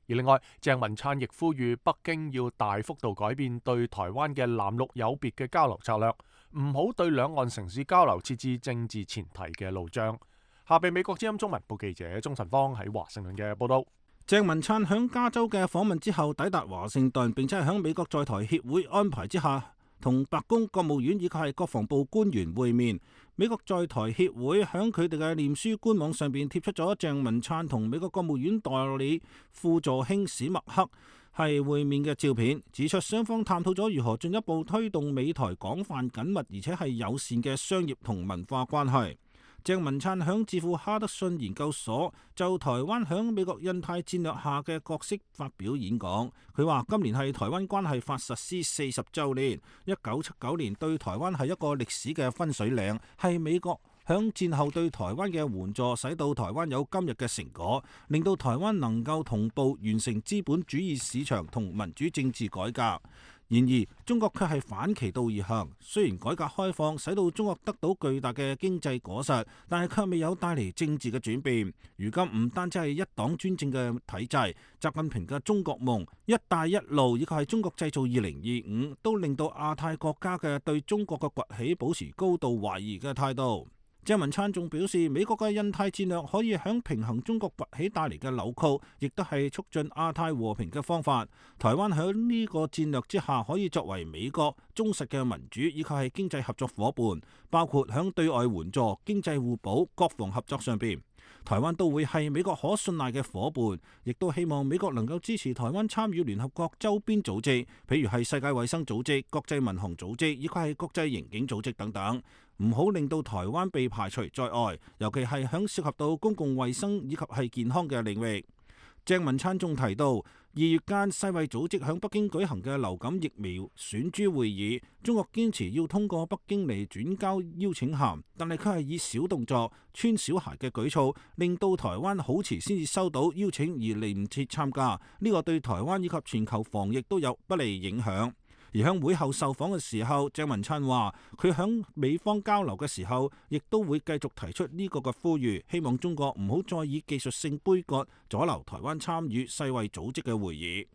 A: 而另外，鄭文燦亦呼籲北京要大幅度改變對台灣嘅藍綠有別嘅交流策略，唔好對兩岸城市交流設置政治前提嘅路障。下邊美國之音中文部記者鍾晨芳喺華盛頓嘅報道。
E: 鄭文燦響加州嘅訪問之後抵達華盛頓，並且係響美國在台協會安排之下，同白宮、國務院以及係國防部官員會面。美國在台協會響佢哋嘅臉書官網上邊貼出咗鄭文燦同美國國務院代理副助卿史密克係會面嘅照片，指出雙方探討咗如何進一步推動美台廣泛緊密而且係友善嘅商業同文化關係。鄭文燦響智庫哈德遜研究所就台灣響美國印太戰略下嘅角色發表演講。佢話今年係台灣關係法實施40週年，1979年對台灣係一個歷史嘅分水嶺，係美國響戰後對台灣嘅援助，使到台灣有今日嘅成果，令到台灣能夠同步完成資本主義市場同民主政治改革。然而，中國卻係反其道而行。雖然改革開放使到中國得到巨大嘅經濟果實，但係卻未有帶嚟政治嘅轉變。如今唔單止係一黨專政嘅體制，習近平嘅中國夢、一帶一路以及係中國製造2025，都令到亞太國家嘅對中國嘅崛起保持高度懷疑嘅態度。鄭文燦仲表示，美國嘅印太戰略可以響平衡中國崛起帶嚟嘅扭曲，亦都係促進亞太和平嘅方法。台灣響呢個戰略之下，可以作為美國忠實嘅民主以及係經濟合作夥伴，包括響對外援助、經濟互補、國防合作上邊。台灣都會係美國可信賴嘅夥伴，亦都希望美國能夠支持台灣參與聯合國周邊組織，譬如係世界衛生組織、國際民航組織以及係國際刑警組織等等，唔好令到台灣被排除在外，尤其係響涉及到公共衛生以及係健康嘅領域。鄭文燦仲提到，2月間世衛組織響北京舉行嘅流感疫苗選株會議，中國堅持要通過北京嚟轉交邀請函，但係佢係以小動作、穿小鞋嘅舉措，令到台灣好遲先至收到邀請而嚟唔切參加，呢個對台灣以及全球防疫都有不利影響。而喺會後受訪嘅時候，鄭文燦話佢響美方交流嘅時候，亦都會繼續提出呢個嘅呼籲，希望中國唔好再以技術性杯葛阻撓台灣參與世衛組織嘅會議。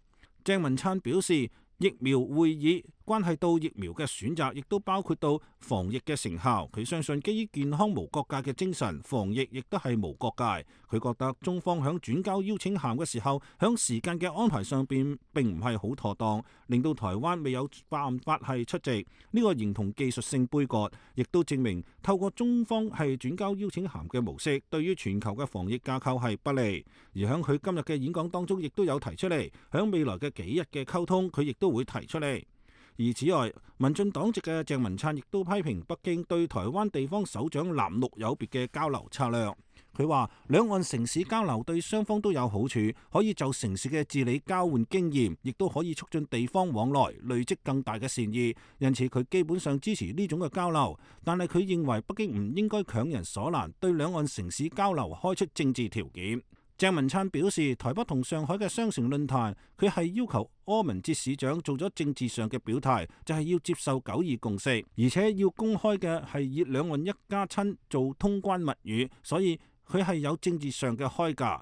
E: 鄭文燦表示，疫苗會議關係到疫苗嘅選擇，亦都包括到防疫嘅成效。佢相信基於健康無國界嘅精神，防疫亦都係無國界。佢覺得中方響轉交邀請函嘅時候，響時間嘅安排上邊並唔係好妥當，令到台灣未有辦法係出席。呢個形同技術性杯葛，亦都證明透過中方係轉交邀請函嘅模式，對於全球嘅防疫架構係不利。而響佢今日嘅演講當中，亦都有提出嚟，響未來嘅幾日嘅溝通，佢亦都會提出嚟。而此外，民進黨籍嘅鄭文燦亦都批評北京對台灣地方首長藍綠有別嘅交流策略。佢話兩岸城市交流對雙方都有好處，可以就城市嘅治理交換經驗，亦都可以促進地方往來，累積更大嘅善意。因此佢基本上支持呢種嘅交流，但係佢認為北京唔應該強人所難，對兩岸城市交流開出政治條件。鄭文燦表示，台北同上海嘅雙城論壇，佢係要求柯文哲市長做咗政治上嘅表態，就係要接受9·2共識，而且要公開嘅係以兩岸一家親做通關密語，所以佢係有政治上嘅開價。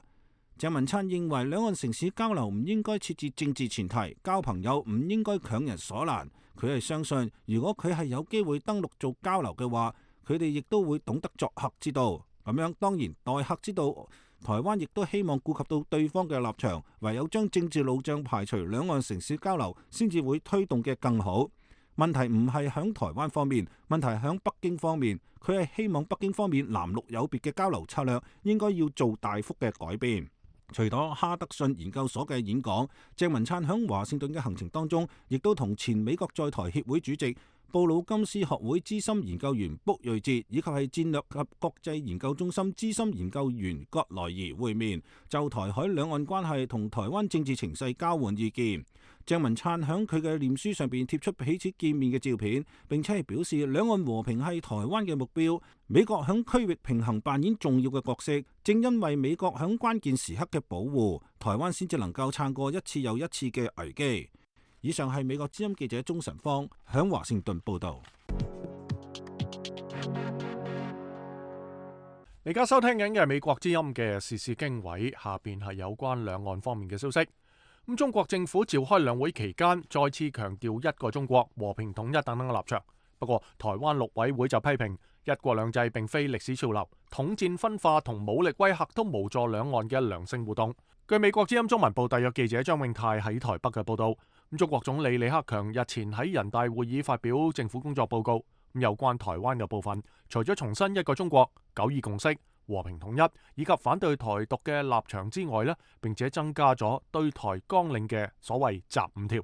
E: 鄭文燦認為兩岸城市交流唔應該設置政治前提，交朋友唔應該強人所難。佢係相信，如果佢係有機會登陸做交流嘅話，佢哋亦都會懂得作客之道。咁樣當然待客之道。台灣亦都希望顧及到對方嘅立場，唯有將政治路障排除，兩岸城市交流先至會推動嘅更好。問題唔係響台灣方面，問題響北京方面。佢係希望北京方面藍綠有別嘅交流策略應該要做大幅嘅改變。除咗哈德遜研究所嘅演講，鄭文燦響華盛頓嘅行程當中，亦都同前美國在台協會主席布魯金斯學會資深研究員卜瑞哲以及係戰略及國際研究中心資深研究員葛萊儀會面，就台海兩岸關係同台灣政治情勢交換意見。鄭文燦響佢嘅臉書上邊貼出彼此見面嘅照片，並且係表示兩岸和平係台灣嘅目標，美國響區域平衡扮演重要嘅角色，正因為美國響關鍵時刻嘅保護，台灣先至能夠撐過一次又一次嘅危機。以上係美國之音記者鍾晨芳響華盛頓報道。
A: 而家收聽緊嘅係美國之音嘅時事經緯，下邊係有關兩岸方面嘅消息。咁中國政府召開兩會期間，再次強調一個中國、和平統一等等嘅立場。不過，台灣陸委會就批評一國兩制並非歷史潮流，統戰分化同武力威嚇都無助兩岸嘅良性互動。據美國之音中文部特約記者張永泰喺台北嘅報道，中國總理李克強日前喺人大會議發表政府工作報告，有關台灣嘅部分，除咗重申一個中國、9·2共識、和平統一以及反對台獨嘅立場之外呢，並且增加咗對台綱領嘅所謂集5條。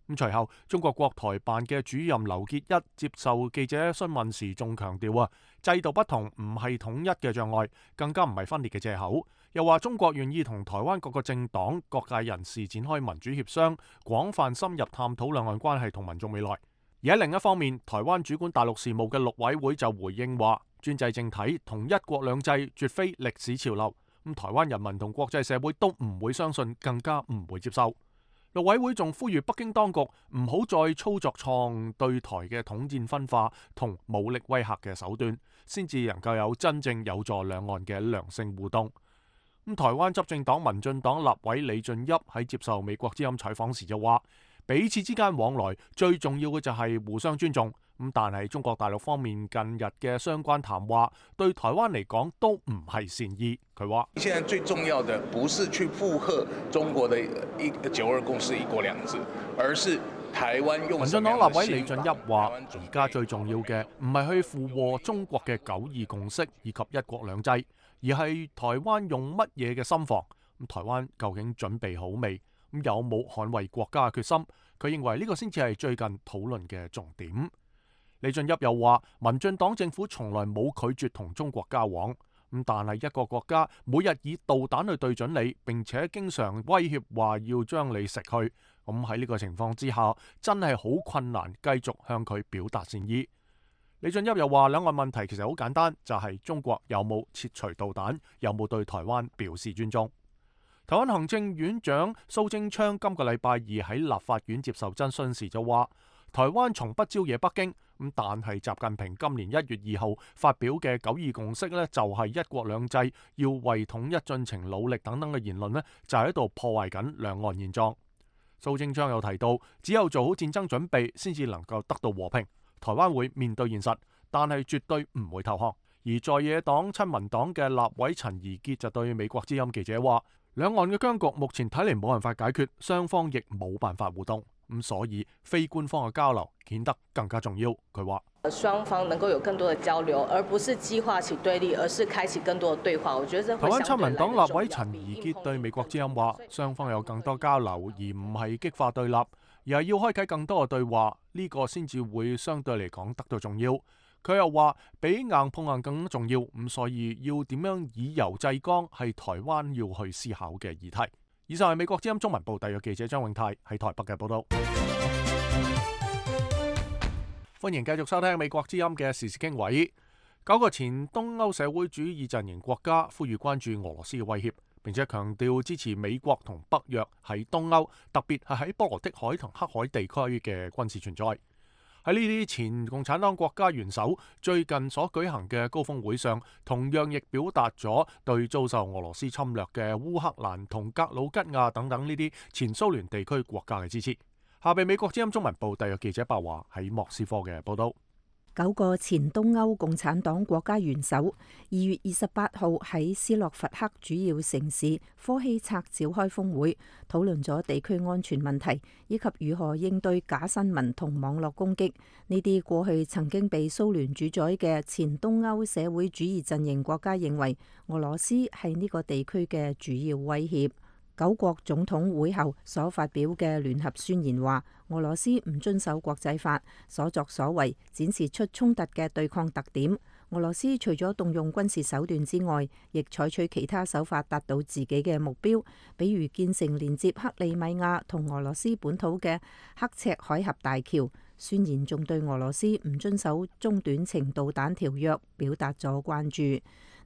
A: 咁隨後，中國國台辦嘅主任劉結一接受記者詢問時，仲強調制度不同唔係統一嘅障礙，更加唔係分裂嘅藉口。又話中國願意同台灣各個政黨、各界人士展開民主協商，廣泛深入探討兩岸關係同民眾未來。而喺另一方面，台灣主管大陸事務嘅陸委會就回應話，專制政體同一國兩制絕非歷史潮流，咁台灣人民同國際社會都唔會相信，更加唔會接受。陸委會仲呼籲北京當局唔好再操作錯對台嘅統戰分化同武力威嚇嘅手段，先至能夠有真正有助兩岸嘅良性互動。咁台灣執政黨民進黨立委李俊俋喺接受美國之音採訪時就話，彼此之間往來最重要嘅就係互相尊重。咁但係中國大陸方面近日嘅相關談話對台灣嚟講都唔係善意。佢話：
B: 現在最重要的不是去附和中國的9·2共識、1國2制，而是台灣用。
A: 民進黨立委李俊俋話：而家最重要嘅唔係去附和中國嘅9·2共識以及1國2制，而係台灣用乜嘢嘅心防。咁台灣究竟準備好未？咁有冇捍衛國家嘅決心？佢認為呢個先至係最近討論嘅重點。李俊俋又話：民進黨政府從來冇拒絕同中國交往，咁但係一個國家每日以導彈去對準你，並且經常威脅話要將你食去，咁喺呢個情況之下，真係好困難繼續向佢表達善意。李俊俋又話：兩岸問題其實好簡單，就係中國有冇撤除導彈，有冇對台灣表示尊重。台灣行政院長蘇貞昌今個禮拜二喺立法院接受質詢時就話：台灣從不招惹北京，咁但係習近平今年1月2號發表嘅9·2共識呢，就係1國2制要為統一進程努力等等嘅言論呢，就喺度破壞緊兩岸現狀。蘇貞昌又提到，只有做好戰爭準備，先至能夠得到和平。台灣會面對現實，但係絕對唔會投降。而在野黨親民黨嘅立委陳怡傑就對美國之音記者話：兩岸嘅僵局目前睇嚟冇辦法解決，雙方亦冇辦法互動。咁所以非官方嘅交流顯得更加重要。佢話：
I: 雙方能夠有更多嘅交流，而不是激化起對立，而是開啟更多嘅對話。我覺得台灣親民黨立委陳怡傑對美國之音話：雙方有更多交流，而唔係激化對立，而係要開啟更多嘅對話，呢個先至會相對嚟講得到重要。
A: 佢又話比硬碰硬更重要，咁所以要點樣以柔制剛係台灣要去思考嘅議題。以上係美國之音中文部特約記者張永泰喺台北嘅報道。歡迎繼續收聽美國之音嘅時事經緯。9個前東歐社會主義陣營國家呼籲關注俄羅斯嘅威脅，並且強調支持美國同北約喺東歐，特別係喺波羅的海同黑海地區嘅軍事存在。喺呢啲前共產黨國家元首最近所舉行嘅高峰會上，同樣亦表達咗對遭受俄羅斯侵略嘅烏克蘭同格魯吉亞等等呢啲前蘇聯地區國家嘅支持。下邊美國之音中文部特約記者白華喺莫斯科嘅報道。
F: 9個前東歐共產黨國家元首2月28號喺斯洛伐克主要城市科希策召開峰會，討論咗地區安全問題，以及如何應對假新聞同網絡攻擊。呢啲過去曾經被蘇聯主宰嘅前東歐社會主義陣營國家認為，俄羅斯係呢個地區嘅主要威脅。9國總統會後所發表嘅聯合宣言話，俄羅斯唔遵守國際法，所作所為展示出衝突嘅對抗特點。俄羅斯除咗動用軍事手段之外，亦採取其他手法達到自己嘅目標，比如建成連接克里米亞同俄羅斯本土嘅刻赤海峽大橋。宣言仲對俄羅斯唔遵守中短程導彈條約表達咗關注。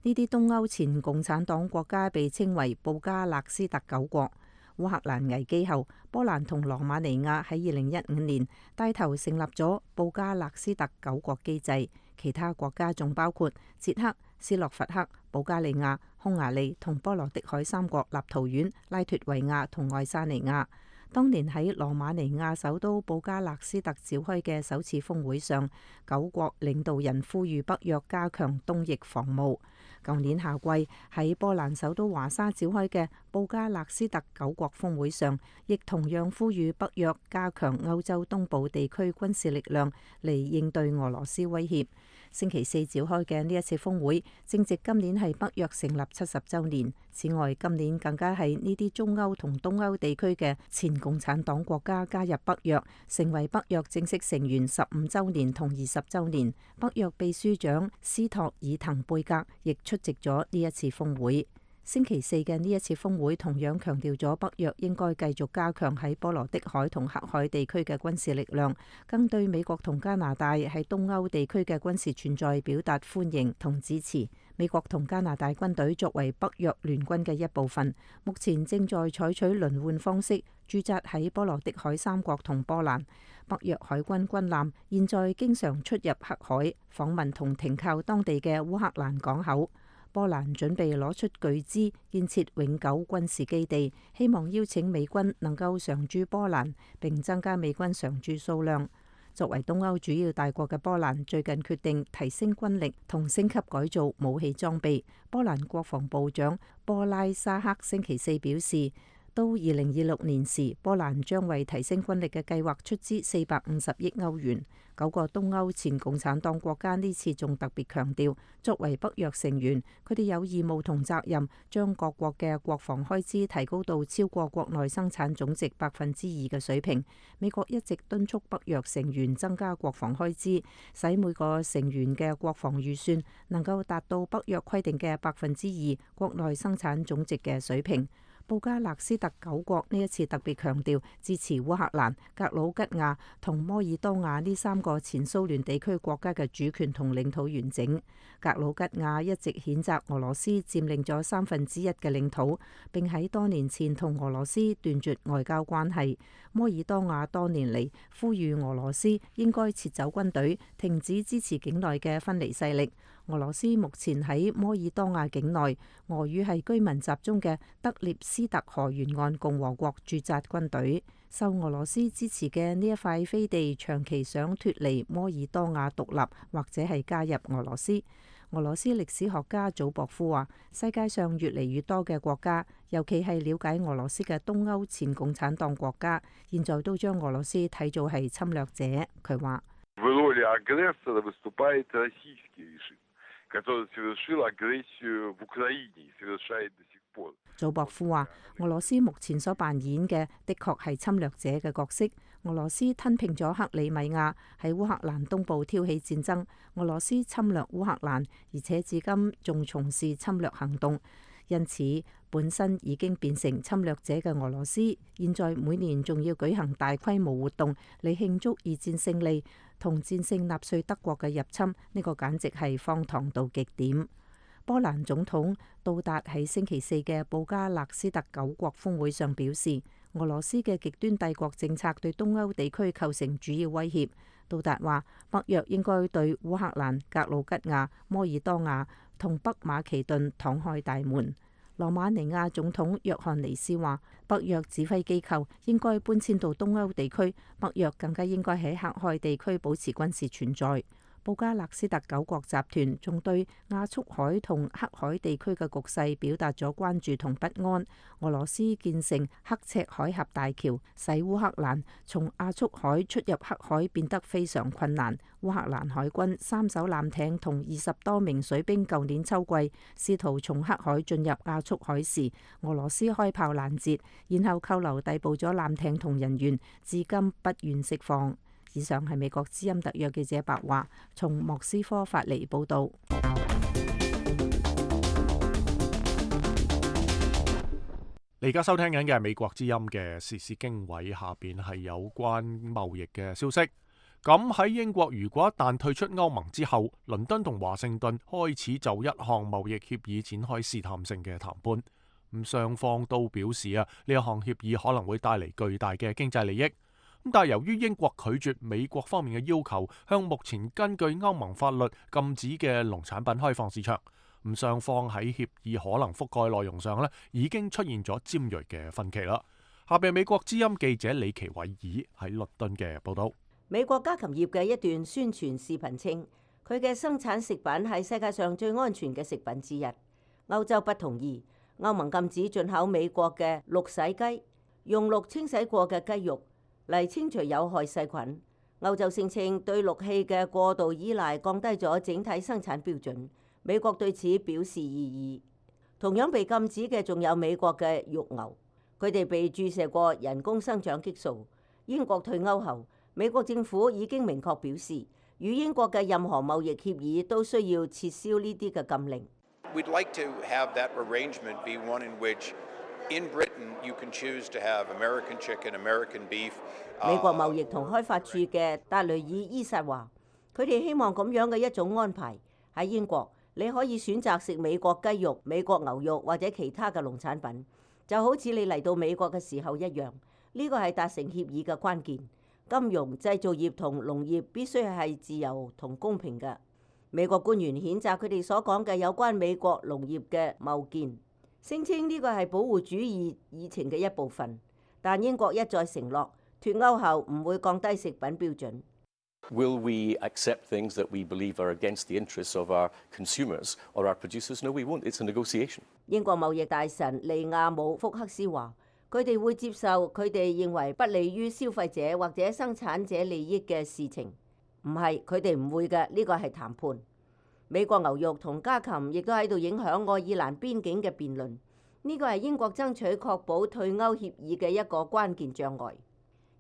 F: 呢啲東歐前共產黨國家被稱為布加勒斯特9國。烏克蘭危機後，波蘭同羅馬尼亞喺2015年帶頭成立咗布加勒斯特9國機制，其他國家仲包括捷克、斯洛伐克、保加利亞、匈牙利同波羅的海3國立陶宛、拉脫維亞同愛沙尼亞。當年喺羅馬尼亞首都布加勒斯特召開嘅首次峰會上，9國領導人呼籲北約加強東翼防務。舊年夏季喺波蘭首都華沙召開嘅布加勒斯特9國峰會上，亦同樣呼籲北約加強歐洲東部地區軍事力量嚟應對俄羅斯威脅。星期四召開嘅呢一次峰會，正值今年係北約成立70週年。此外，今年更加係呢啲中歐同東歐地區嘅前共產黨國家加入北約，成為北約正式成員15週年同20週年。北約秘書長斯托爾滕貝格亦出席咗呢一次峰會。星期四嘅呢一次峰會同樣強調咗北約應該繼續加強喺波羅的海同黑海地區嘅軍事力量，更對美國同加拿大喺東歐地區嘅軍事存在表達歡迎同支持。美國同加拿大軍隊作為北約聯軍嘅一部分，目前正在採取輪換方式駐紮喺波羅的海3國同波蘭。北約海軍軍艦現在經常出入黑海，訪問同停靠當地嘅烏克蘭港口。波蘭準備攞出巨資建設永久軍事基地，希望邀請美軍能夠常駐波蘭，並增加美軍常駐數量。作為東歐主要大國嘅波蘭，最近決定提升軍力同升級改造武器裝備。波蘭國防部長波拉沙克星期四表示，到2026年時，波蘭將為提升軍力嘅計劃出資450億歐元。9個東歐前共產黨國家呢次仲特別強調，作為北約成員，佢哋有義務同責任將各國嘅國防開支提高到超過國內生產總值2%嘅水平。美國一直敦促北約成員增加國防開支，使每個成員嘅國防預算能夠達到北約規定嘅2%國內生產總值嘅水平。布加勒斯特9國呢一次特別強調支持烏克蘭、格魯吉亞同摩爾多瓦呢3個前蘇聯地區國家嘅主權同領土完整。格魯吉亞一直譴責俄羅斯佔領咗1/3嘅領土，並喺多年前同俄羅斯斷絕外交關係。摩爾多瓦多年嚟呼籲俄羅斯應該撤走軍隊，停止支持境內嘅分離勢力。俄羅斯目前喺摩爾多瓦境內，俄語係居民集中嘅德涅斯特河沿岸共和國駐紮軍隊。受俄羅斯支持嘅呢一塊飛地長期想脫離摩爾多瓦獨立，或者係加入俄羅斯。俄羅斯歷史學家祖博夫話：世界上越嚟越多嘅國家，尤其係了解俄羅斯嘅東歐前共產黨國家，現在都將俄羅斯睇做係侵略者。佢話：祖博夫話：俄羅斯目前所扮演嘅，的確係侵略者嘅角色。俄羅斯吞併咗克里米亞，喺烏克蘭東部挑起戰爭。俄羅斯侵略烏克蘭，而且至今仲從事侵略行動。因此，本身已經變成侵略者嘅俄羅斯，現在每年仲要舉行大規模活動嚟慶祝二戰勝利同戰勝納粹德國嘅入侵，呢個簡直係荒唐到極點。波蘭總統杜達喺星期四嘅布加勒斯特9國峰會上表示，俄羅斯嘅極端帝國政策對東歐地區構成主要威脅。杜達話，北約應該對烏克蘭、格魯吉亞、摩爾多瓦同北馬其頓敞開大門。羅馬尼亞總統約翰尼斯話，北約指揮機構應該搬遷到東歐地區，北約更加應該喺黑海地區保持軍事存在。布加勒斯特9國集團仲對亞速海同黑海地區嘅局勢表達咗關注同不安。俄羅斯建成刻赤海峽大橋，使烏克蘭從亞速海出入黑海變得非常困難。烏克蘭海軍3艘艦艇同20多名水兵舊年秋季試圖從黑海進入亞速海時，俄羅斯開炮攔截，然後扣留逮捕咗艦艇同人員，至今不願釋放。以上係美國之音特約記者白話從莫斯科發嚟報道。
A: 你而家收聽緊嘅係美國之音嘅時事經緯，下邊係有關貿易嘅消息。咁喺英國，如果一旦退出歐盟之後，倫敦同華盛頓開始就一項貿易協議展開試探性嘅談判。咁雙方都表示呢一項協議可能會帶嚟巨大嘅經濟利益。但係由於英國拒絕美國方面嘅要求，向目前根據歐盟法律禁止嘅農產品開放市場，咁雙方喺協議可能覆蓋內容上已經出現咗尖銳嘅分歧啦。下邊美國之音記者李奇偉爾喺倫敦嘅報道。
G: 美國家禽業嘅一段宣傳視頻稱，佢嘅生產食品係世界上最安全嘅食品之一。歐洲不同意，歐盟禁止進口美國嘅鹿洗雞，用鹿清洗過嘅雞肉嚟清除有害細菌。歐洲聲稱對鹿氣嘅過度依賴降低咗整體生產標準。美國對此表示異議。同樣被禁止嘅仲有美國嘅肉牛，佢哋被注射過人工生長激素。英國退歐後，美國政府已經明確表示，與英國嘅任何貿易協議都需要撤銷呢啲嘅禁令。
J: We'd like to have that arrangement be one in which in Britain you can choose to have American chicken, American beef.
G: 美國貿易同開發處嘅達雷爾伊薩話，佢哋希望咁樣嘅一種安排喺英國，你可以選擇食美國雞肉、美國牛肉或者其他嘅農產品，就好似你嚟到美國嘅時候一樣。呢個係達成協議嘅關鍵。金融、製造業同農業必須係自由同公平嘅。美國官員譴責佢哋所講嘅有關美國農業嘅謬見，聲稱呢個係保護主義議程嘅一部分。但英國一再承諾，脫歐後唔會降低食品標準。
K: Will we accept things that we believe are against the interests of our consumers or our producers? No, we won't. It's a negotiation.
G: 英國貿易大臣利亞姆福克斯話，佢哋會接受佢哋認為不利於消費者或者生產者利益嘅事情。唔係，佢哋唔會嘅，呢個係談判。美國牛肉同家禽亦都喺度影響愛爾蘭邊境嘅辯論。呢個係英國爭取確保退歐協議嘅一個關鍵障礙。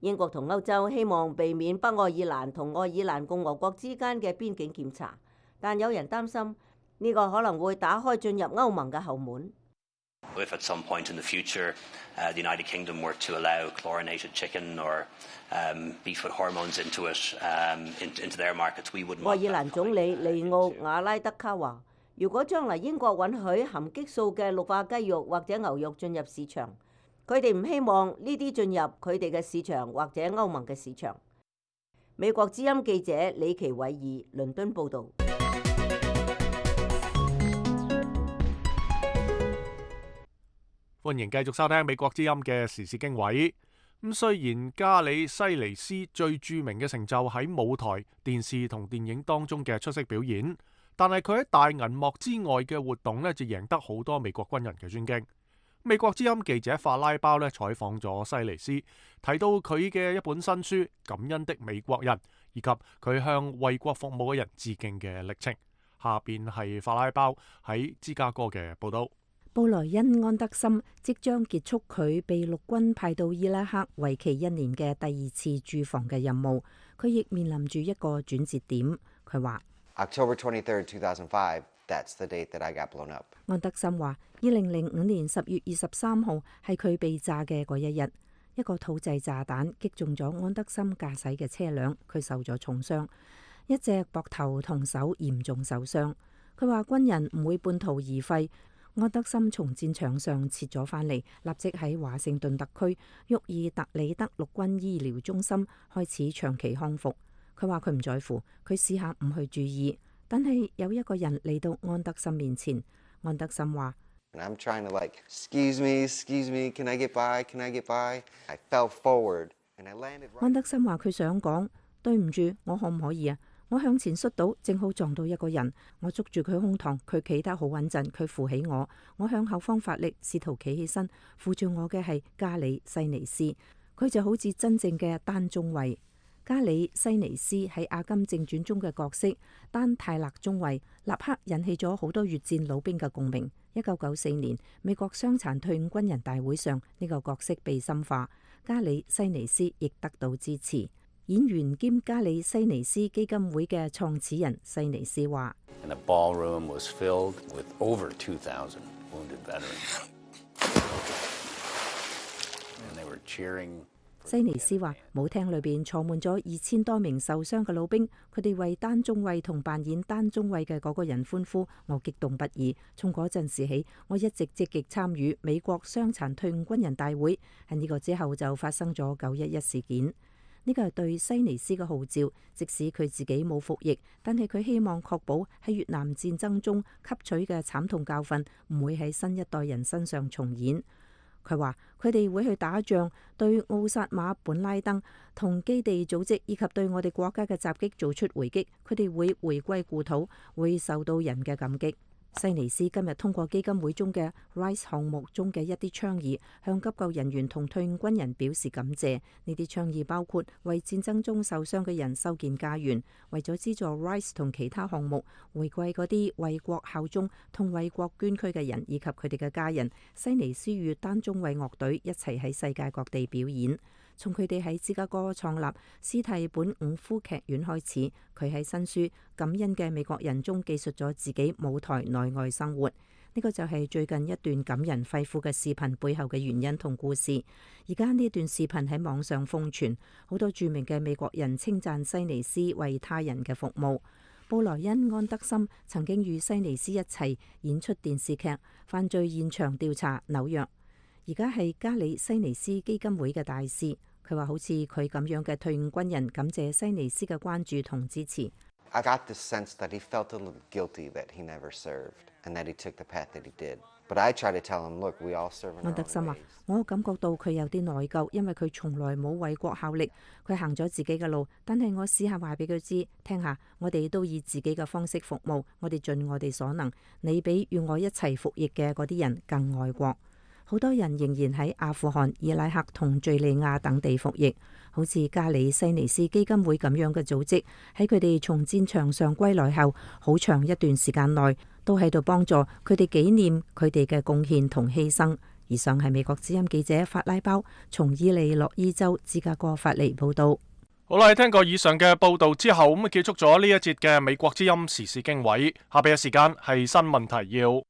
G: 英國同歐洲希望避免北愛爾蘭同愛爾蘭共和國之間嘅邊境檢查，但有人擔心呢個可能會打開進入歐盟嘅後門。
L: If at some point in the future, the United Kingdom were to allow chlorinated chicken or beef with hormones into it, into their markets, we wouldn't.
G: 愛爾蘭總理利奧瓦拉德卡話，如果將來英國允許含激素嘅氯化雞肉或者牛肉進入市場，佢哋唔希望呢啲進入佢哋嘅市場或者歐盟嘅市場。美國之音記者李奇偉爾倫敦報導。
A: 歡迎繼續收聽美國之音嘅時事經緯。咁雖然加里西尼斯最著名嘅成就喺舞台、電視同電影當中嘅出色表演，但係佢喺大銀幕之外嘅活動就贏得好多美國軍人嘅尊敬。美國之音記者法拉包採訪咗西尼斯，提到佢嘅一本新書《感恩的美國人》，以及佢向為國服務嘅人致敬嘅歷程。下邊係法拉包喺芝加哥嘅報道。
F: 布萊恩·安德森即將結束佢被陸軍派到伊拉克為期1年嘅第2次駐防嘅任務，佢亦面臨住一個轉折點。佢話
M: ：October 23rd, 2005, that's the date that I got blown up。
F: 安德森話：2005年10月23號係佢被炸嘅嗰一日，一個土製炸彈擊中咗安德森駕駛嘅車輛，佢受咗重傷，一隻膊頭同手嚴重受傷。佢話軍人唔會半途而廢。安德森從戰場上撤咗返嚟，立即喺華盛頓特區沃爾特里德陸軍醫療中心開始長期康復。佢話佢唔在乎，佢試下唔去注意，但係有一個人嚟到安德森面前。安德森話
M: ：I'm trying to excuse me, can I get by? Can I get by? I fell forward and I landed。
F: 安德森話佢想講對唔住，我可唔可以啊？我向前摔倒，正好撞到一個人，我捉住佢胸膛，佢企得好穩陣，佢扶起我，我向後方發力，試圖企起身，扶住我嘅係加里西尼斯，佢就好似真正嘅丹中尉。加里西尼斯喺《阿甘正傳》中嘅角色丹泰勒中尉，立刻引起咗好多越戰老兵嘅共鳴。1994年美國傷殘退伍軍人大會上，呢個角色被深化，加里西尼斯亦得到支持。演員兼加里西尼斯基金會嘅創始人西尼斯話：西尼斯話舞廳裏邊坐滿咗2000多名受傷嘅老兵，佢哋為丹中尉同扮演丹中尉嘅嗰個人歡呼，我激動不已。從嗰陣時起，我一直積極參與美國傷殘退伍軍人大會。喺呢個之後就發生咗911事件。呢個係對西尼斯嘅號召，即使佢自己冇服役，但係佢希望確保喺越南戰爭中吸取嘅慘痛教訓唔會喺新一代人身上重演。佢話佢哋會去打仗，對奧薩馬本拉登同基地組織以及對我哋國家嘅襲擊做出回擊，佢哋會回歸故土，會受到人嘅感激。西尼斯今日通過基金會中嘅 RISE 項目中嘅一啲倡議，向急救人員同退伍軍人表示感謝。呢啲倡議包括為戰爭中受傷嘅人修建家園，為咗資助 RISE 同其他項目，回饋嗰啲為國效忠同為國捐軀嘅人以及佢哋嘅家人。西尼斯與丹中尉樂隊一齊喺世界各地表演。從佢哋喺芝加哥創立斯蒂本伍夫劇院開始，佢喺新書《感恩嘅美國人》中記述咗自己舞台內外生活。呢個就係最近一段感人肺腑嘅視頻背後嘅原因同故事。而家呢段視頻喺網上瘋傳，好多著名嘅美國人稱讚西尼斯為他人嘅服務。布萊恩·安德森曾經與西尼斯一齊演出電視劇《犯罪現場調查紐約》，而家係加里西尼斯基金會嘅大使。佢話好似佢咁樣嘅退伍軍人感謝西尼斯嘅關注同支持。
M: I got the sense that he felt a little guilty that he never served and that he took the path that he did. But I try to tell him, look, we all serve in our own ways.
F: 安德森話：我感覺到佢有啲內疚，因為佢從來冇為國效力，佢行咗自己嘅路。但係我試下話俾佢知，聽下，我哋都以自己嘅方式服務，我哋盡我哋所能。你比與我一齊服役嘅嗰啲人更愛國。好多人仍然喺阿富汗、伊拉克同敘利亞等地服役，好似加里西尼斯基金會咁樣嘅組織，喺佢哋從戰場上歸來後，好長一段時間內都喺度幫助佢哋紀念佢哋嘅貢獻同犧牲。以上係美國之音記者法拉包從伊利諾伊州芝加哥發嚟報道。
A: 好啦，聽過以上嘅報道之後，咁結束咗呢一節嘅美國之音時事經緯。下邊嘅時間係新聞提要。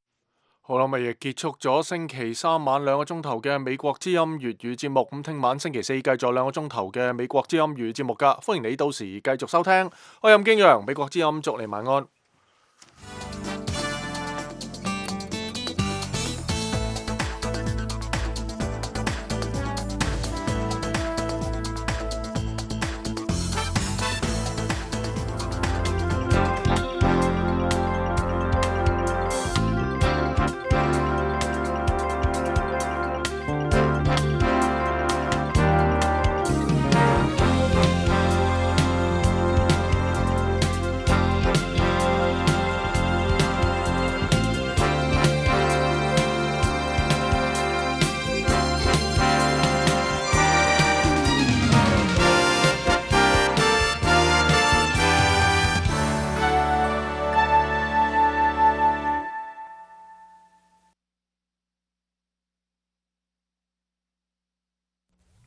A: 好啦，咪亦結束咗星期三晚2個鐘頭嘅美國之音粵語節目。咁聽晚星期四繼續2個鐘頭嘅美國之音粵語節目噶，歡迎你到時繼續收聽。我係任敬陽，美國之音祝你晚安。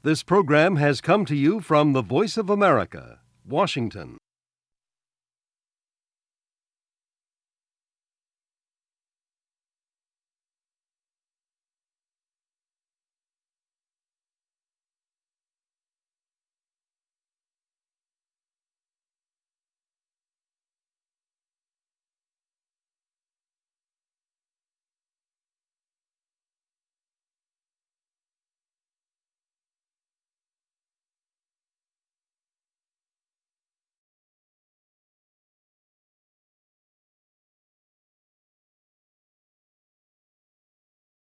N: This program has come to you from the Voice of America, Washington.